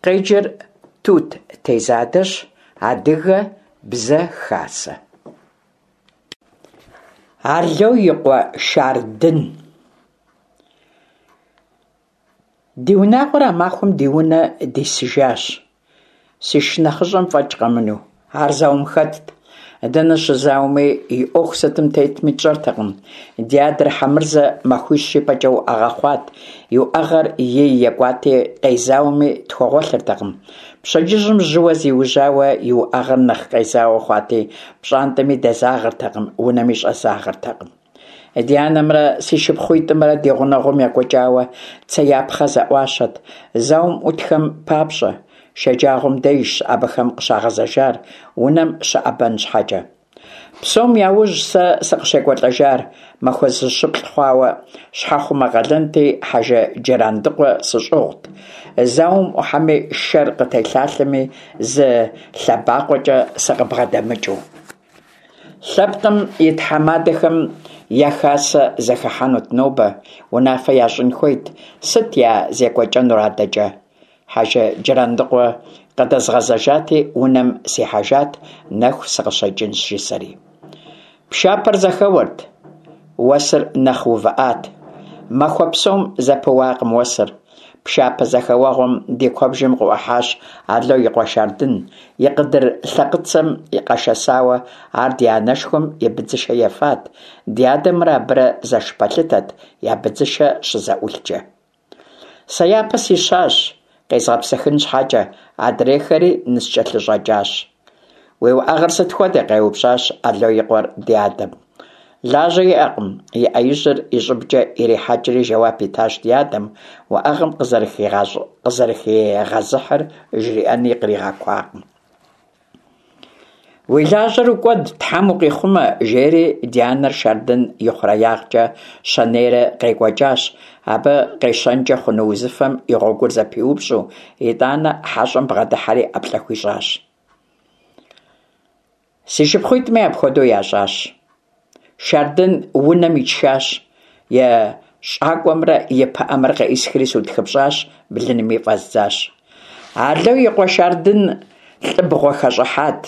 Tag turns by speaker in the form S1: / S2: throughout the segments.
S1: Къеджэр Тут Тезадэщ, Адыгэ бзэ хасэ. Ало и къуэ Шардын. Ди унагъуэр а махуэм ди унэ дисыжащ, си шынэхъыщӏэм фӏэкӏ къэмынэу. Ар зауэм хэтт. Дэнэ щызауэми, и ӏуэху сытым тетми тщӏэртэкъым. Ди адэр Хьэмырзэ махуищ ипэкӏэ уӏэгъэ хъуат, и уӏэгъэр ей екӏуати, къезауэми тхуэгъуэлъыртэкъым. Пщэдджыжьым жьыуэ зиужьауэ и уӏэгъэр нэхъ къезауэ хъуати, пщӏантӏэми дэзагъэртэкъым, унэми щӏэзагъэртэкъым. Ди анэмрэ си шыпхъуитӏымрэ ди гъунэгъум екӏуэкӏауэ цеяпхъэ зэӏуащэт, зауэм ӏутхэм папщӏэ. Шэджагъуэм дежщ абыхэм къыщагъэзэжар, унэм щыӏэбэн щхьэкӏэ. Псом яужь сэ сыкъыщекӏуэлӏэжар, махуэ зыщыплӏ хъуауэ, щхьэхъумэ къалэнти, Хьэжы Джырандыкъуэ сыщӏыгъут. Зауэм ӏухьэми, шэр къытелъалъэми, зы лъэбакъуэкӏэ сыкъыбгъэдэмыкӏыу. Лъэпкъым и тхьэмадэхэм я хасэ зэхыхьэнут нобэ, унафэ ящӏын хуейт, сыт я зекӏуэкӏэнур адэкӏэ? Хьэжы Джырандыкъуэ къыдэзгъэзэжати, унэм сихьэжат, нэху сыкъыщекӏынщ, жысӏэри. Пшапэр зэхэуэрт, уэсыр нэхъ увыӏат. Махуэ псом зэпыуакъым уэсыр. Пшапэ зэхэуэгъуэм ди куэбжэм къыӏухьащ Ало и къуэ Шардын, и къыдыр лъэкъыцэм къэшэсауэ, ар ди анэшхуэм и быдзышэ ефат, ди адэмрэ абырэ зэш пэлъытэт я быдзышэ щызэӏулъкӏэ. Сэ япэ сищащ, къезгъэпсыхын щхьэкӏэ, адрейхэри ныскӏэлъыщӏэкӏащ. Уи уӏэгъэр сыт хуэдэ? къеупщӏащ Ало и къуэр ди адэм. Лажьэ иӏэкъым, и ӏэ ижьыр и щӏыбкӏэ ирихьэкӏри жэуап итащ ди адэм, уӏэгъэм къызэрыхигъэзыхьыр жриӏэни къригъэкуакъым. Уи лажьэр укӏуэд, Тхьэм укъихъумэ, жери ди анэр Шардын и хъуреягъкӏэ щэнейрэ къекӏуэкӏащ, абы къещэнкӏэ хъуну узыфэм и гъуэгур зэпиупщӏу, итӏанэ хьэщӏэм бгъэдыхьэри ӏэплӏэ хуищӏащ. Си шыпхъуитӏми апхуэдэу ящӏащ. Шардын унэм итшащ, и щӏакӏуэмрэ и пыӏэмрэ къеӏысхри сутхыпщӏащ, блынми фӏэздзащ. Ало и къуэ Шардын лӏыбгъуэ хэщӏыхьат,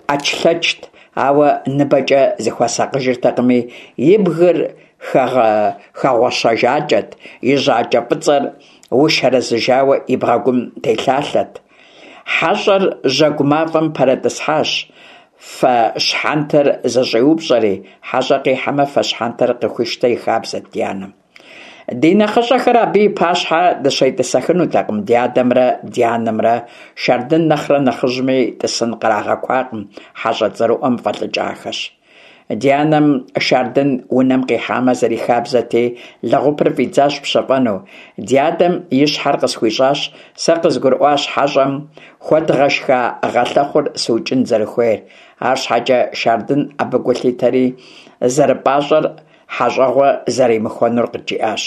S1: ӏэчлъэчт, ауэ ныбэкӏэ зыхуэсакъыжыртэкъыми, и бгыр хэгъуэщэжакӏэт, и жьакӏэ фӏыцӏэр ушэрэзыжауэ и бгъэгум телъалъэт. Хьэщӏэр жьэгу мафӏэм пэрытӏысхьащ, фэ щхьэнтэр зэщӏиупщӏэри, хьэщӏэ къихьэмэ, фэ щхьэнтэр къыхуищтэ и хабзэт ди анэм. Ди нэхъыщӏэхэр абы и пащхьэ дыщетӏысэхынутэкъым, ди адэмрэ ди анэмрэ Шардын нэхърэ нэхъыжьми тӏысын кърагъэкуакъым, хьэщӏэ цӏэрыӏуэм фӏэлӏыкӏахэщ. Ди анэм Шардын унэм къихьамэ зэрихабзэти, лэгъупыр фӏидзащ пщэфӏэну. Ди адэм и щхьэр къысхуищӏащ, сэ къызгурыӏуащ хьэщӏэм хуэдгъэшха гъэлъэхъур сыукӏын зэрыхуейр. Арщхьэкӏэ Шардын абы гу лъитэри, зэрыпӏащӏэр хьэщӏэгъуэ зэримыхуэнур къыджиӏащ.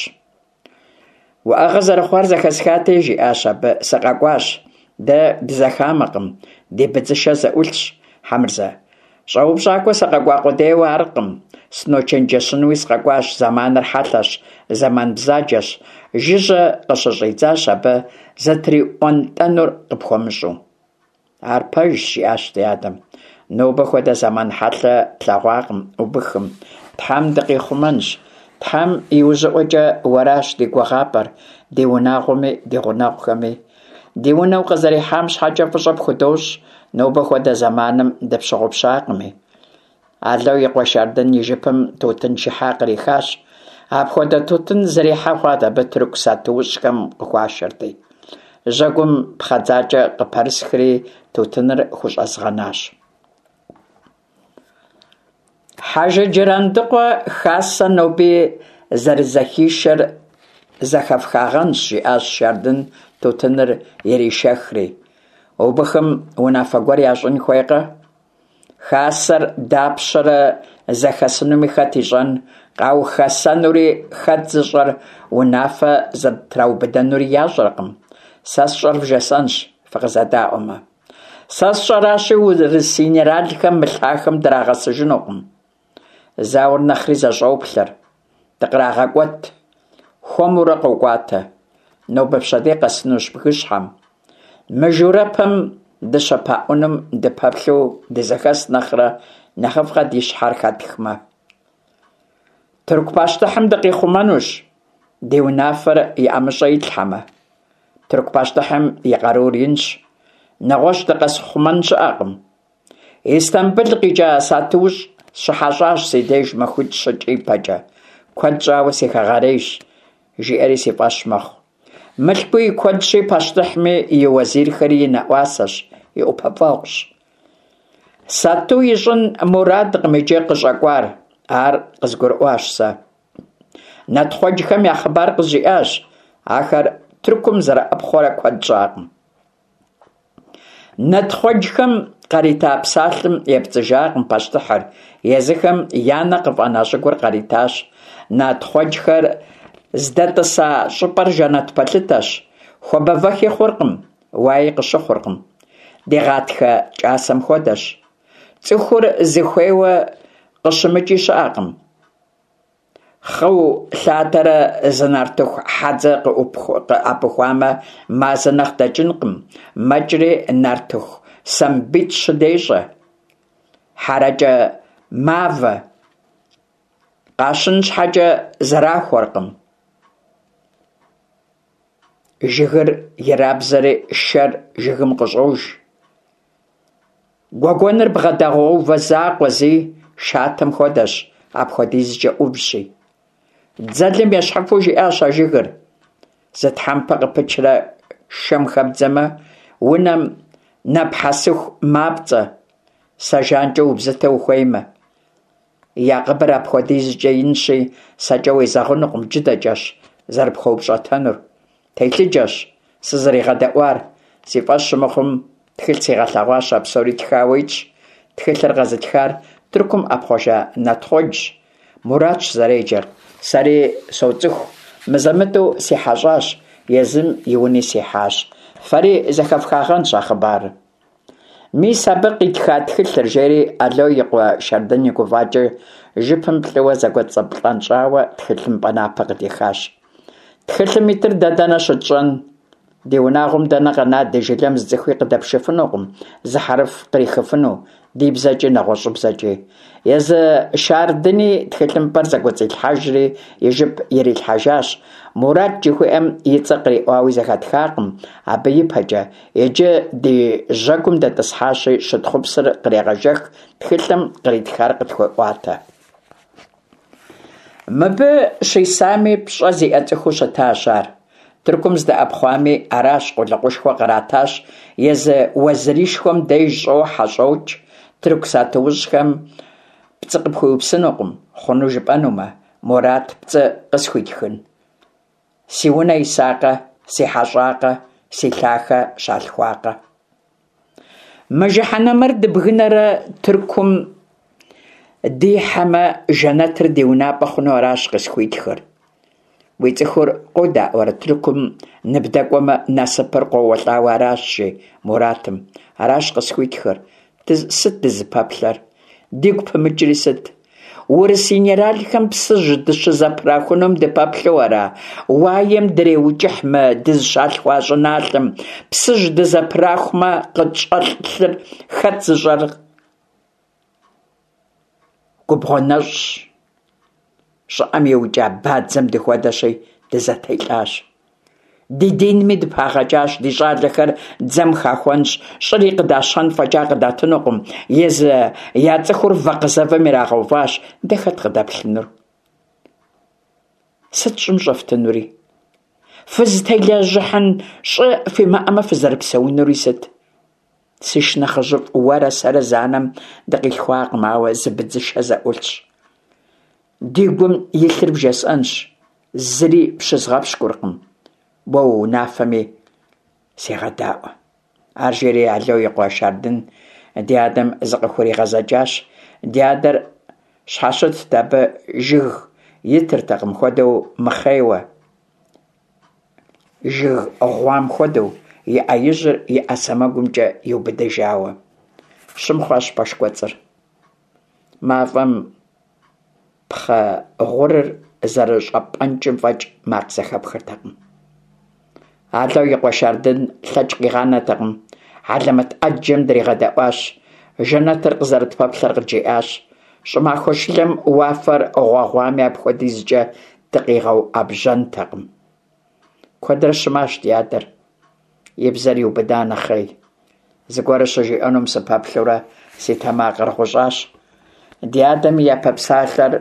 S1: Уӏэгъэ зэрыхъуар зэхэсхати, жиӏащ абы, сыкъэкӏуащ. Дэ дызэхамэкъым, ди быдзышэ зэӏулъщ, Хьэмырзэ. Щӏэупщӏакӏуэ сыкъэкӏуа къудейуэ аркъым, сыночэнджэщынуи сыкъэкӏуащ, зэманыр хьэлъэщ, зэман бзаджэщ, жыжьэ къыщыщӏидзащ абы зэтриӏуэнтӏэнур къыпхуэмыщӏу. Ар пэжщ, жиӏащ ди адэм. Нобэ хуэдэ зэман хьэлъэ тлъэгъуакъым убыхым. Тхьэм дыкъихъумэнщ. Тхьэм и ужьыӏуэкӏэ уэращ ди гугъапӏэр, ди унагъуэми, ди гъунэгъухэми. Ди унэ укъызэрихьам щхьэкӏэ фӏыщӏэ пхудощӏ, нобэ хуэдэ зэманым дыпщыгъупщакъыми. Ало и къуэ Шардын и жыпым тутын шыхьа кърихащ. Апхуэдэ тутын зэрихьэ хъуат абы тырку сатуущӏхэм къыхуашэрти. Жьэгум пхъэдзакӏэ къыпэрысхри, тутыныр хущӏэзгъэнащ. Хьэжы Джырандыкъуэ хасэ ноби зэрызэхишэр зэхэфхагъэнщ, жиӏащ Шардын тутыныр иришэхри. Убыхым унафэ гуэр ящӏын хуейкъэ? Хасэр дапщэрэ зэхэсынуми хэт ищӏэн, къаухэсэнури хэт зыщӏэр, унафэ зытраубыдэнури ящӏэркъым. Сэ сщӏэр вжесӏэнщ, фыкъызэдаӏуэмэ. Сэ сщӏэращи, урыс инэралхэм мы лъахэм драгъэсыжынукъым. Зауэр нэхъри зэщӏоплъэр, дыкърагъэкӏуэт, хуэмурэ къокӏуатэ. Нобэ-пщэдей къэсынущ бгыщхьэм. Мыжурэпэм дыщыпаӏунум дыпэплъэу дызэхэс нэхърэ нэхъыфӏкъэ ди щхьэр хэтхмэ? Тырку пащтыхьым дыкъихъумэнущ, ди унафэр и ӏэмыщӏэ итлъхьэмэ. Тырку пащтыхьым и къарур инщ, нэгъуэщӏ дыкъэзыхъумэн щыӏэкъым. Истамбыл къикӏа сатуущӏ щыхьэщӏащ си деж махуитӏ-щыкӏэ ипэкӏэ. Куэд щӏауэ си хэгъэрейщ, жиӏэри си фӏэщ мэхъу. Мылъкуи и куэдщи, пащтыхьми и уэзирхэри и нэӏуасэщ, и ӏупэфӏэгъущ. Сату ищӏын мурадкъым иджы къыщӏэкӏуар, ар къызгурыӏуащ сэ. Натхъуэджхэм я хъыбар къызжиӏащ, ахэр Тыркум зэрыӏэпхъуэрэ куэд щӏакъым. Натхъуэджхэм къарита псалъэм епцӏыжакъым пащтыхьыр, езыхэм я нэ къыфӏэна щӏыгур къаритащ. Натхъуэджхэр здэтӏыса щӏыпӏэр жэнэт пэлъытэщ, хуабэвэхи хъуркъым, уаи къыщыхъуркъым. Ди гъатхэ кӏасэм хуэдэщ. Цӏыхур зыхуейуэ къыщымыкӏи щыӏэкъым. Хъыу лъатэрэ зы нартыху хьэдзэ къыӏэпыхуамэ, мазэ нэхъ дэкӏынкъым, мэкӏри нартыху сэмбитӏ-щы дещӏэ. Хьэрэкӏэ мавэ, къащын щхьэкӏэ зэрахуэркъым. Жыгыр ирабзэри шэр жыгым къыщӏож. Гуэгуэныр бгъэдэгъэувэ закъуэ зи, шатэм хуэдэщ, апхуэдизкӏэ ӏувщи. Дзэлым ещхьыфу жиӏащ а жыгыр. Зы тхьэмпэ къыпычрэ шэм хэбдзэмэ, унэм нэпхьэсыху мапцӏэ, сэ жанкӏэ убзытэ ухуеймэ. Я къыбыр апхуэдизкӏэ инщи, сэкӏэ уезэгъынукъым, джыдэкӏэщ зэрыпхуэупщӏэтэнур. Телъыджэщ сызэригъэдэӏуар. Си фӏэщ щымыхъум, тхылъ сигъэлъэгъуащ, а псори тхауэ итщ. Тхылъыр къэзытхар Тыркум ӏэпхъуэжа Натхъуэджщ, Муратщ зэреджэр. Сэри соцӏыху, мызэ-мытӏэу си хьэщӏащ, езым и уни сихьащ. Фэри зэхэфхагъэнщ а хъыбарыр. Мис абы къитха тхылъыр, жери Ало и къуэ Шардын и гуфӏакӏэ жыпым плӏыуэ зэкӏуэцӏыплӏэнщӏауэ тхылъымпӏэ напэ къыдихащ. Тхылъым итыр дэ дэнэ щытщӏэн? Ди унагъуэм дэнэ къэна, ди жылэм зы цӏыхуи къыдэпшыфынукъым, зы хьэрыф кърихыфыну, ди бзэкӏи нэгъуэщӏыбзэкӏи. Езы Шардыни тхылъымпӏэр зэкӏуэцӏилъхьэжри и жып ирилъхьэжащ. Мурат жыхуиӏэм и цӏэ къриӏуауи зэхэтхакъым абы ипэкӏэ. Иджы ди жьэгум дэтӏысхьащи, щытхъупсыр кърегъэжэх, тхылъым къритхар къытхуеӏуатэ. Мыбы щисами пщӏэ зиӏэ цӏыхуу щытащ ар. Тыркум здэӏэпхъуами, аращ, къулыкъушхуэ къратащ, езы уэзырышхуэм деж щӏохьэ, щӏокӏ. Тырку сатуущӏхэм пцӏы къыпхуиупсынукъым, хъуну жыпӏэнумэ, Мурат пцӏы къысхуитхын? Си унэ исакъэ, си хьэщӏакъэ, си лъахэ щалъхуакъэ? Мы жыхьэнэмэр дыбгынэрэ Тыркум дихьэмэ, жэнэтыр ди унапӏэ хъуну аращ къысхуитхыр. Уи цӏыхур къодаӏуэрэ Тыркум ныбдэкӏуэмэ, насыпыр къоуэлӏауэ аращ, жи Муратым. Аращ къысхуитхыр. Сыт дызыпэплъэр? Дигу пымыкӏри сыт? Урыс генералхэм Псыжь дыщызэпрахунум дыпэплъэу ара? Уаем дреукӏыхь мы дызыщалъхуа щӏыналъэм. Псыжь дызэпрахумэ, къытщӏэлъыр хэт зыщӏэр? Губгъуэ нэщӏщ. Щӏыӏэм иукӏа бадзэм дыхуэдэщи, дызэтелӏащ. Ди динми дыпагъэкӏащ, ди щӏалэхэр дзэм хахуэнщ, щӏыри къыдащэн фӏэкӏа къыдатынукъым, езы я цӏыхур вакъызэвым ирагъэуващ, дэ хэт къыдэплъынур? Сыт щӏым щӏэфтынури? Фызытелэжьыхьын щӏы фимыӏэмэ, фызэрыпсэунури сыт? Си шынэхъыжьыфӏ, уэрэ сэрэ зы анэм дыкъилъхуакъым, ауэ зы быдзышэ зэӏулъщ. Ди гум илъыр бжесӏэнщ, зыри пщызгъэпщкӏуркъым, уэ уунафэми сегъэдаӏуэ. Ар жери Ало и къуэ Шардын ди адэм зыкъыхуригъэзэкӏащ. Ди адэр щхьэщытт абы жыг итыртэкъым хуэдэу мыхъейуэ. Жыг гъуам хуэдэу, и ӏэ ижьыр и ӏэ сэмэгумкӏэ иубыдыжауэ. Щым хъуащ пэш кӏуэцӏыр. Мафӏэм пхъэ гъурыр зэрыщӏэпӏэнкӏым фӏэкӏ макъ зэхэпхыртэкъым. Ало и къуэ Шардын лъэкӏ къигъанэтэкъым, хьэлэмэт ӏэджэм дригъэдэӏуащ, жэнэтыр къызэрытпэплъэр къыджиӏащ. Щӏымахуэ шылэм уафэр гъуэгъуами апхуэдизкӏэ дыкъигъэуӏэбжьэнтэкъым. Куэдрэ щымащ ди адэр, и бзэр иубыда нэхъей. Зыгуэр щыжиӏэнум сыпэплъэурэ си тэмакъыр гъущӏащ. Ди адэм и япэ псалъэр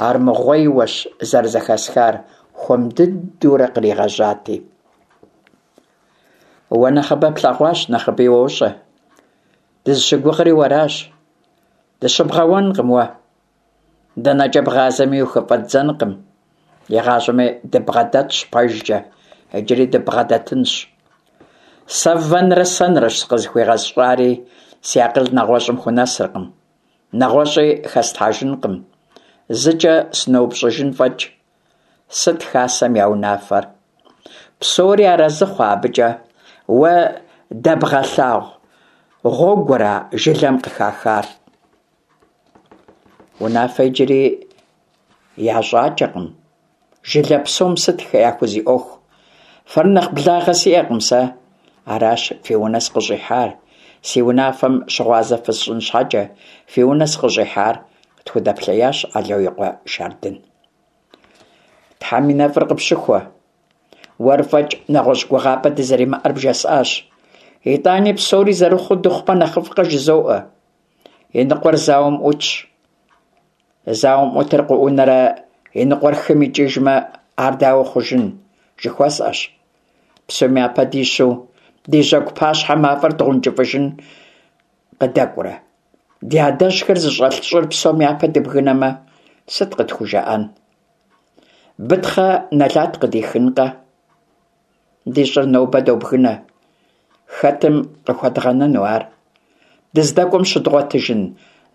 S1: армыгъуейуэщ зэрызэхэсхар, хуэм дыдэурэ къригъэжьати. Уэ нэхъыбэ плъэгъуащ, нэхъыби уощӏэ. Дызыщыгугъри уэращ. Дыщыбгъэуэнкъым уэ. Дэнэкӏэ бгъазэми ухыфӏэддзэнкъым. Игъащӏэми дыббгъэдэтщ пэжкӏэ, иджыри дыббгъэдэтынщ. Сэ вэнрэ сэнрэщ сыкъызыхуигъэщӏари, си акъыл нэгъуэщӏым хунэсыркъым. Нэгъуэщӏи хэслъхьэжынкъым. Зыкӏэ сыноупщӏыжын фӏэкӏ. Сыт хасэм я унафэр? Псори арэзы хъуа абыкӏэ? Уэ дэбгъэлъагъу гъуэгура жылэм къыхахар? Унафэ иджыри ящӏакӏэкъым. Жылэ псом сыт яхузиӏуэху? Фэр нэхъ благъэ сиӏэкъым сэ. Аращ фи унэ сыкъыщӏихьар. Си унафэм щыгъуазэ фысщӏын щхьэкӏэ, фи унэ сыкъыщӏихьар, къытхудэплъеящ Ало и къуэ Шардын. Тхьэм и нэфӏыр къыпщыхуэ. Уэр фӏэкӏ нэгъуэщӏ гугъапӏэ дызэримыӏэр бжесӏащ. Итӏани псори зэрыхъуу дыхъумэ нэхъыфӏкъэ жызоӏэ. И ныкъуэр зауэм ӏутщ. Зауэм ӏутыр къыӏунэрэ и ныкъуэр хым икӏыжмэ, ар дауэ хъужын, жыхуэсӏэщ. Псом япэ дищу ди жьэгу пащхьэ мафӏэр дгъэункӏыфӏыжын къыдэкӏурэ? Ди адэжьхэр зыщӏэлъ щӏыр псом япэ дыбгынэмэ, сыт къытхужаӏэн? Бытхъэ нэлат къыдихынкъэ? Ди щӏыр нобэ добгынэ. Хэтым къыхуэдгъэнэну ар? Дыздэкӏуэм щыдгъуэтыжын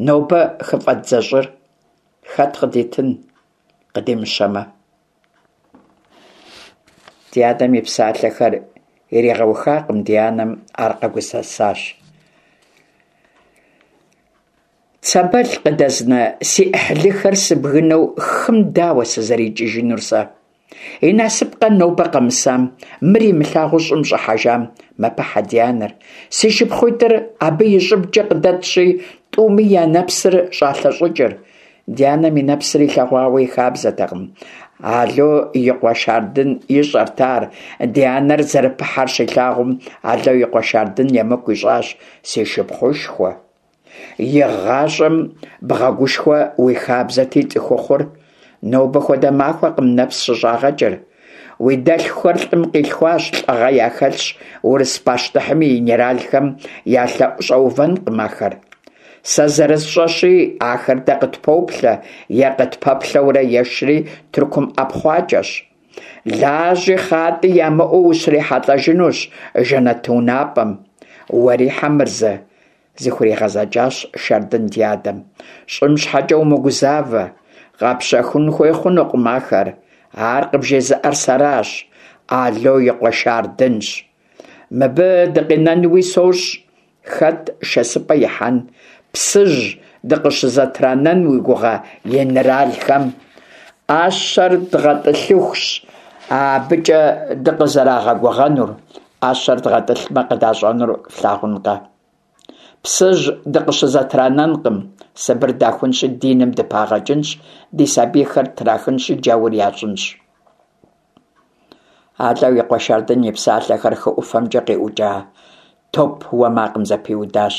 S1: нобэ хыфӏэддзэ щӏыр? Хэт къыдитын, къыдимыщэмэ? Ди адэм и псалъэхэр иригъэухакъым, ди анэм ар къэгусэсащ. Цэбэл къыдэзна си ӏыхьлыхэр сыбгынэу хым дауэ сызэрикӏыжынур сэ? И насыпкъэ нобэ къэмысам, мыр имылъагъуу щӏым щӏыхьэжам, мэпыхьэ ди анэр. Си шыпхъуитӏыр абы и щӏыбкӏэ къыдэтщи, тӏуми я нэпсыр щӏалъэщӏыкӏыр. Ди анэм и нэпсыр илъэгъуауэ и хабзэтэкъым. Ало и къуэ Шардын ищӏэрт ар. Ди анэр зэрыпыхьэр щилъагъум, Ало и къуэ Шардын емыкӏу ищӏащ си шыпхъушхуэ. Игъащӏэм бгъэгушхуэ уи хабзэти цӏыхухъур, нобэ хуэдэ махуэкъым нэпс щыщӏагъэкӏыр. Уи дэлъхухэр лӏым къилъхуащ, лӏыгъэ яхэлъщ, урыс пащтыхьым и генералхэм я лъэӏу щӏэувэнкъым ахэр. Сэ зэрысщӏэщи, ахэр дэ къытпоплъэ е къытпэплъэурэ ешри Тыркум ӏэпхъуакӏэщ. Лажьи хъатӏи ямыӏэу ущрихьэлӏэжынущ жэнэт унапӏэм. Уэри, Хьэмырзэ, зыхуригъэзэкӏащ Шардын ди адэм. Щӏым щхьэкӏэ умыгузавэ, къэпщэхун хуей хъунукъым ахэр. Ар къыбжезыӏэр сэращ, Ало и къуэ Шардынщ. Мыбы дыкъинэнуи сощӏ, хэт шэсыпӏэ ихьэн, Псыжь дыкъыщызэтранэн уи гугъэ генералхэм? ӏэщэр дгъэтӏылъыхущ абыкӏэ дыкъызэрагъэгугъэнур, ӏэщэр дгъэтӏылъмэ къыдащӏэнур флъагъункъэ? Псыжь дыкъыщызэтранэнкъым, Сыбыр дахунщи диным дыпагъэкӏынщ, ди сабийхэр ттрахынщи джаур ящӏынщ. Ало и къуэ Шардын и псалъэхэр хы ӏуфэмкӏэ къиӏукӏа топ уэ макъым зэпиудащ.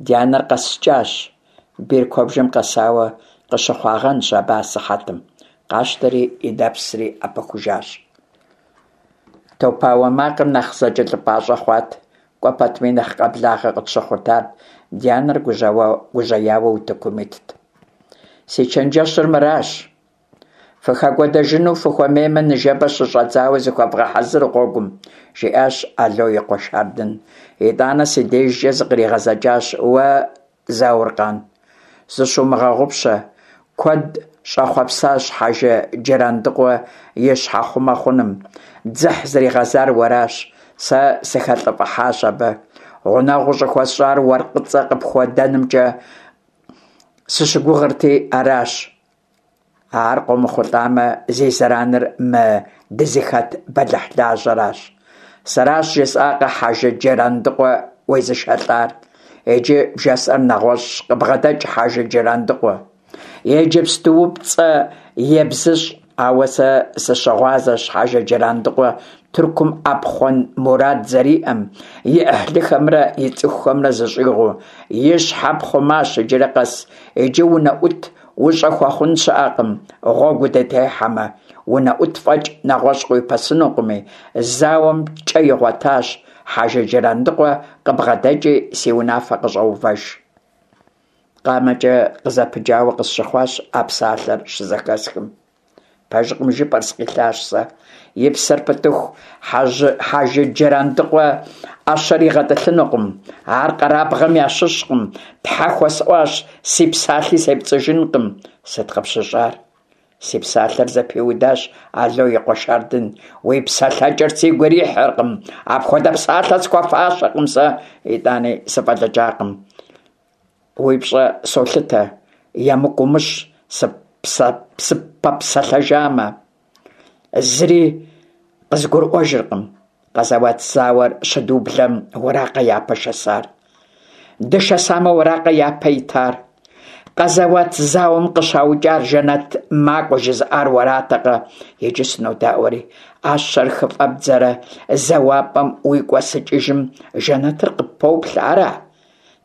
S1: Ди анэр къэскӏащ, бийр куэбжэм къэсауэ къыщыхъуагъэнщ абы асыхьэтым, къащтэри и нэпсри ӏэпыхужащ. Топауэ макъыр нэхъ зэкӏэлъыпӏащӏэ хъуат, кӏуэ пэтми нэхъ къэблагъэ къытщыхъурт ар, ди анэр гужьеяуэ утыкум итт. Си чэнджэщыр мыращ. Фыхэкӏуэдэжыну фыхуэмеймэ, ныжэбэ щыщӏэдзауэ зыхуэвгъэхьэзыр гъуэгум, жиӏащ Ало и къуэ Шардын. Итӏанэ си дежкӏэ зыкъригъэзэкӏащ, Уэ, Зауркъан, зыщумыгъэгъупщэ, куэд щӏэхъуэпсащ Хьэжы Джырандыкъуэ и щхьэхъумэ хъуным. Дзыхь зригъэзар уэращ, сэ сыхэлӏыфӏыхьащ абы. Гъунэгъу ущӏыхуэсщӏар уэркъыцӏэ къыпхуэдэнымкӏэ сыщыгугъырти аращ. Ар къомыхъулӏамэ, зи зэраныр мы дызыхэт бэлыхьлажьэращ. Сэращ жысӏакъэ Хьэжы Джырандыкъуэ уезышэлӏар. Иджы бжесӏэр нэгъуэщӏщ, къыбгъэдэкӏ Хьэжы Джырандыкъуэ. Иджыпступцӏэ ебзыщӏ, ауэ сэ сыщыгъуазэщ Хьэжы Джырандыкъуэ Тыркум ӏэпхъуэн мурад зэриӏэм, и ӏыхьлыхэмрэ и цӏыхухэмрэ зыщӏигъуу. И щхьэ пхъумащ иджыри къэс, иджы унэӏут ущӏыхуэхъун щыӏэкъым, гъуэгу удытехьэмэ. Унэӏут фӏэкӏ нэгъуэщӏ къыуипэсынукъыми, зауэм кӏэ игъуэтащ, Хьэжы Джырандыкъуэ къыбгъэдэкӏи си унафэ къыщӏэувэж. Къамэкӏэ къызэпыджауэ къысщыхъуащ а псалъэр щызэхэсхым. Пэжкъым жыпӏэр, сыкъилъащ сэ. И псэр пытыху Хьэжы Джырандыкъуэ ӏэщэр игъэтӏылъынукъым. Ар къэрабгъэм ящыщкъым. Тхьэ хуэсӏуащ, си псалъи сепцӏыжынкъым. Сыт къыпщыщӏар? Си псалъэр зэпиудащ Ало и къуэ Шардын. Уи псэлъэкӏэр сигу ирихьыркъым. Апхуэдэ псалъэ схуэфащэкъым сэ. Итӏани сыфӏэлӏыкӏакъым. Уи пщӏэ солъытэ, емыкӏу умыщӏ, сыппэпсэлъэжамэ. Зыри къызгурыӏуэжыркъым. Къэзэуат зауэр щыдублэм уэракъэ япэ шэсар? Дышэсамэ, уэракъэ япэ итар? Къэзэуат зауэм къыщаукӏар жэнэт макӏуэ жызыӏар уэратэкъэ? Иджы сынодаӏуэри, ӏэщэр хыфӏэбдзэрэ зэуапӏэм уикӏуэсыкӏыжым жэнэтыр къыппоплъэ, ара?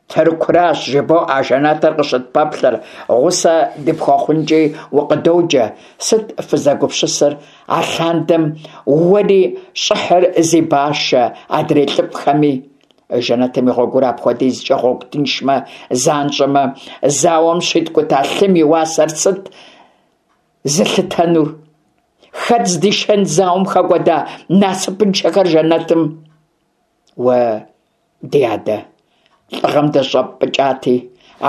S1: Тыркуращ жыбоӏэ а жэнэтыр къыщытпэплъэр, гъусэ дыпхуэхъункӏи укъыдоджэ. Сыт фызэгупсысыр алъандэм уэри щӏыхьыр зи башэ адрей лӏыфӏхэми? Жэнэтым и гъуэгур апхуэдизкӏэ гъуэгу тыншмэ, занщӏэмэ, зауэм щиткӏута лъым и уасэр сыт зылъытэнур? Хэт здишэн зауэм хэкӏуэда насыпыншэхэр жэнэтым? Уэ Ди адэ, лӏыгъэм дыщӏэппӏыкӏати,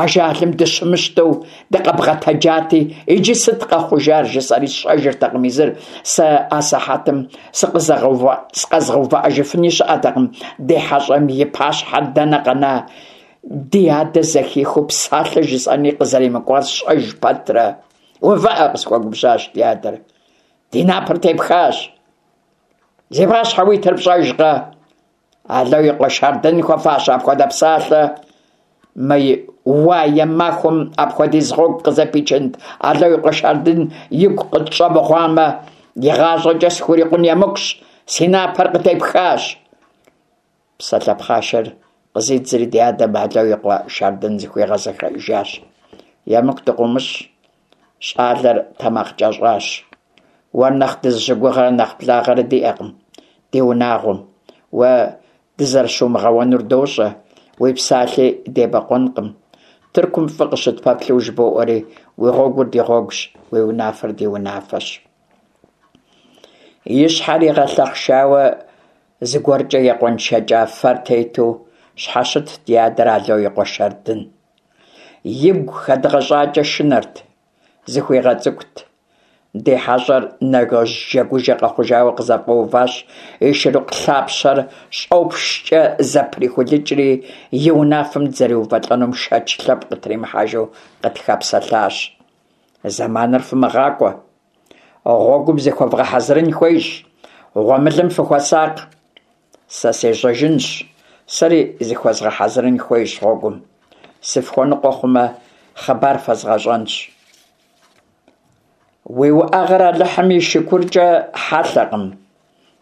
S1: ажалым дыщымыщтэу дыкъэбгъэтэджати, иджы сыт къэхъужар, жысӏэри сщӏэжыртэкъым езыр. Сэ асыхьэтым сыкъэзгъэувыӏэжыфыни щыӏэтэкъым, ди хьэщӏэм и пащхьэр дэнэ къэна, ди адэ зэхихыу псалъэ жысӏэни къызэремыкӏуар сщӏэж пэтрэ. Увыӏэ, къысхуэгубжьащ ди адэр. Ди напэр тепхащ. Зи пащхьэ уитыр пщӏэжкъэ? Ало и къуэ Шардын хуэфащэ апхуэдэ псалъэ? Мы уае махуэм апхуэдиз гъуэгу къызэпичынт Ало и къуэ Шардын игу къытщӏэмыгъуамэ, игъащӏэкӏэ схурикъун емыкӏущ, си напэр къытепхащ. Псалъэ пхъашэр къызидзри ди адэм Ало и къуэ Шардын зыхуигъэзэхэжащ. Емыкӏу дыкъыумыщӏ, Щӏалэр тэмакъкӏэщӏащ. Уэр нэхъ дызыщыгугърэ нэхъ благъэрэ диӏэкъым ди унагъуэм. Уэ дызэрыщумыгъэуэнур дощӏэ, уи псалъи дебэкъуэнкъым. Тыркум фӏы къыщытпэплъэу жыбоӏэри, уи гъуэгур ди гъуэгущ, уи унафэр ди унафэщ. И щхьэр игъэлъэхъшауэ зыгуэркӏэ екъуэншэкӏа фэр тету щхьэщытт ди адэр Ало и къуэ Шардын. Игу хэдгъэщӏакӏэ шынэрт, зыхуигъэцӏыкӏут. Ди хьэщӏэр нэжэгужэ къэхъужауэ къызэфӏэуващ, и шырыкъу лъапщэр щӏопщкӏэ зэприхулыкӏри, и унафэм дызэреувэлӏэнум шэч лъэпкъ къытримыхьэжу къытхэпсэлъащ. Зэманыр фымыгъакӏуэ. Гъуэгум зыхуэвгъэхьэзырын хуейщ, гъуэмылэм фыхуэсакъ. Сэ сежьэжынщ, сэри зыхуэзгъэхьэзырын хуейщ гъуэгум. Сыфхуэныкъуэ хъумэ, хъыбар фэзгъэщӏэнщ. Уи уӏэгъэр Алыхьым и шыкуркӏэ хьэлъэкъым.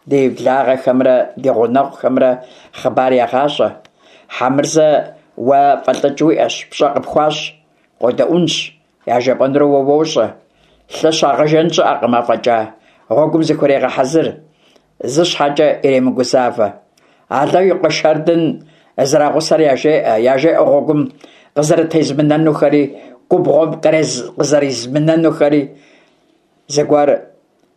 S1: Ди благъэхэмрэ ди гъунэгъухэмрэ хъыбар егъащӏэ. Хьэмырзэ уэ фӏэлӏыкӏ уиӏэщ, пщӏэ къыпхуащӏ, къодэӏунщ. Яжепӏэнур уэ уощӏэ. Лъы щагъэжэн щыӏэкъым афӏэкӏа. Гъуэгум зыхурегъэхьэзыр. Зы щхьэкӏэ иремыгузавэ. Ало и къуэ Шардын зэрагъусэр яжеӏэ, яжеӏэ гъуэгум къызэрытезмынэнухэри, губгъуэм къызэризмынэнухэри. Зыгуэр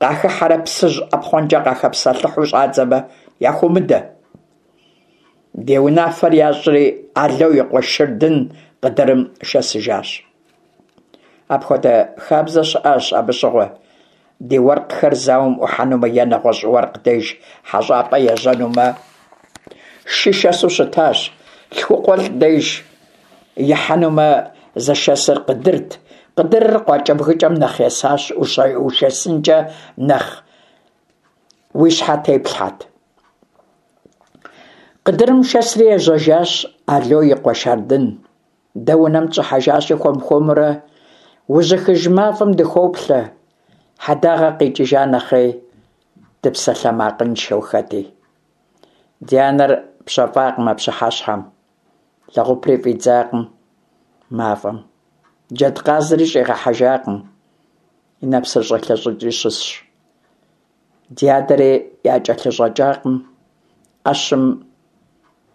S1: къахыхьэрэ Псыжь ӏэпхъуэнкӏэ къахэпсэлъыхьу щӏадзэмэ, яхуумыдэ. Ди унафэр ящӏри, Ало и къуэ Шырдын къыдырым шэсыжащ. Апхуэдэ хабзэ щыӏащ абы щыгъуэ. Ди уэркъхэр зауэм ӏухьэнумэ е нэгъуэщӏ уэркъ деж хьэщӏапӏэ ежьэнумэ, шы шэсу щытащ. Лъхукъуэлӏ деж ихьэнумэ, зышэсыр къыдырт. Къыдырыр къуакӏэбгыкӏэм нэхъ есащ, ушэсынкӏэ нэхъ уи щхьэ теплъхьэт. Къыдырым шэсри ежьэжащ Ало и къуэ Шардын. Дэ унэм дыщӏыхьэжащи, хуэм-хуэмурэ ужьыхыж мафӏэм дыхоплъэ, хьэдагъэ къикӏыжа нэхъей, дыпсалъэмакъыншэу хэти. Ди анэр пщэфӏакъым а пщыхьэщхьэм, лэгъупри фӏидзакъым мафӏэм, джэдкъазри щӏигъэхьэжакъым, и нэпсыр щӏелъэщӏыкӏри щысщ. Ди адэри якӏэлъыщӏэкӏакъым, ӏэщым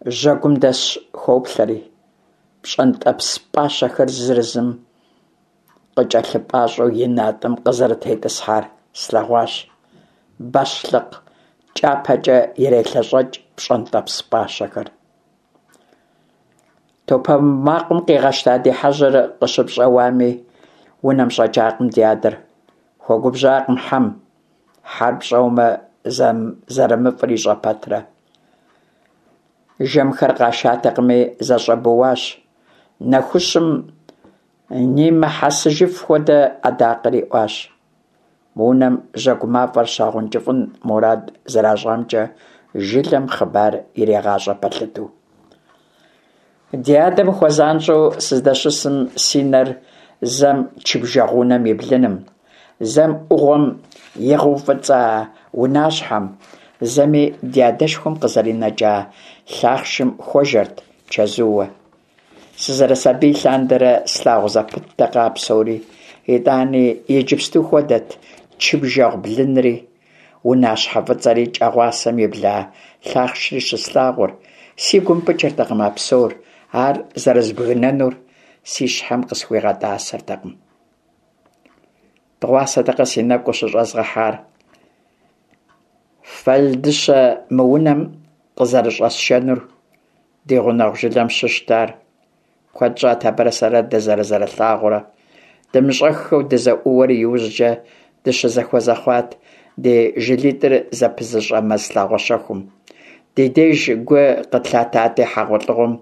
S1: жьэгум дэсщ хоплъэри, пщӏэнтӏэпс пӏащэхэр зырызым къыкӏэлъыпӏащӏэу и натӏэм къызэрытетӏысхьар слъэгъуащ. Бащлъыкъ кӏапэкӏэ ирелъэщӏэкӏ пщӏэнтӏэпс пӏащэхэр. Топыуэ макъым къигъэщта ди хьэжьыр къыщыпщӏэуами, унэм щӏэкӏакъым ди адэр. Хуэгубжьакъым хьэм, хьэр пщӏэумэ зэрымыфӏыр ищӏэ пэтрэ. Жэмхэр къашатэкъыми, зэщӏэбууащ. Нэхущым нимыхьэсыжыф хуэдэ адакъэр иӏуащ. Мы унэм жьэгу мафӏэр щагъэункӏыфӏын мурад зэращӏамкӏэ жылэм хъыбар иригъащӏэ пэлъытэу. Ди адэм хуэзанщӏэу сыздэщысым си нэр зэм чы-бжэгъу унэм и блыным, зэм ӏугъуэм игъэуфӏыцӏа унащхьэм, зэми ди адэшхуэм къызэринэкӏа лъахъшым хуэжэрт чэзууэ. Сызэрысабий лъандэрэ слъагъу зэпыттэкъэ а псори, итӏани иджыпсту хуэдэт чы-бжэгъу блынри, унащхьэ фӏыцӏэри кӏэгъуасэм ибла лъахъшри щыслъагъур, си гум пыкӏыртэкъым а псор, ар зэрызбгынэнур си щхьэм къысхуигъэтӏасэртэкъым. Дыгъуасэтэкъэ си нэгу къыщыщӏэзгъэхьар Фэлдыщэ мы унэм къызэрыщӏэсшэнур, ди гъунэгъу жылэм щыщт ар. Куэд щӏат абырэ сэрэ дызэрызэрылъагъурэ. Дымыщӏэххэу дызэӏууэри иужькӏэ дыщызэхуэзэ хъуат ди жылитӏыр зэпызыщӏэ мэз лъагъуэ щэхум. Ди деж гу къытлъатати, хьэгъуэлӏыгъуэм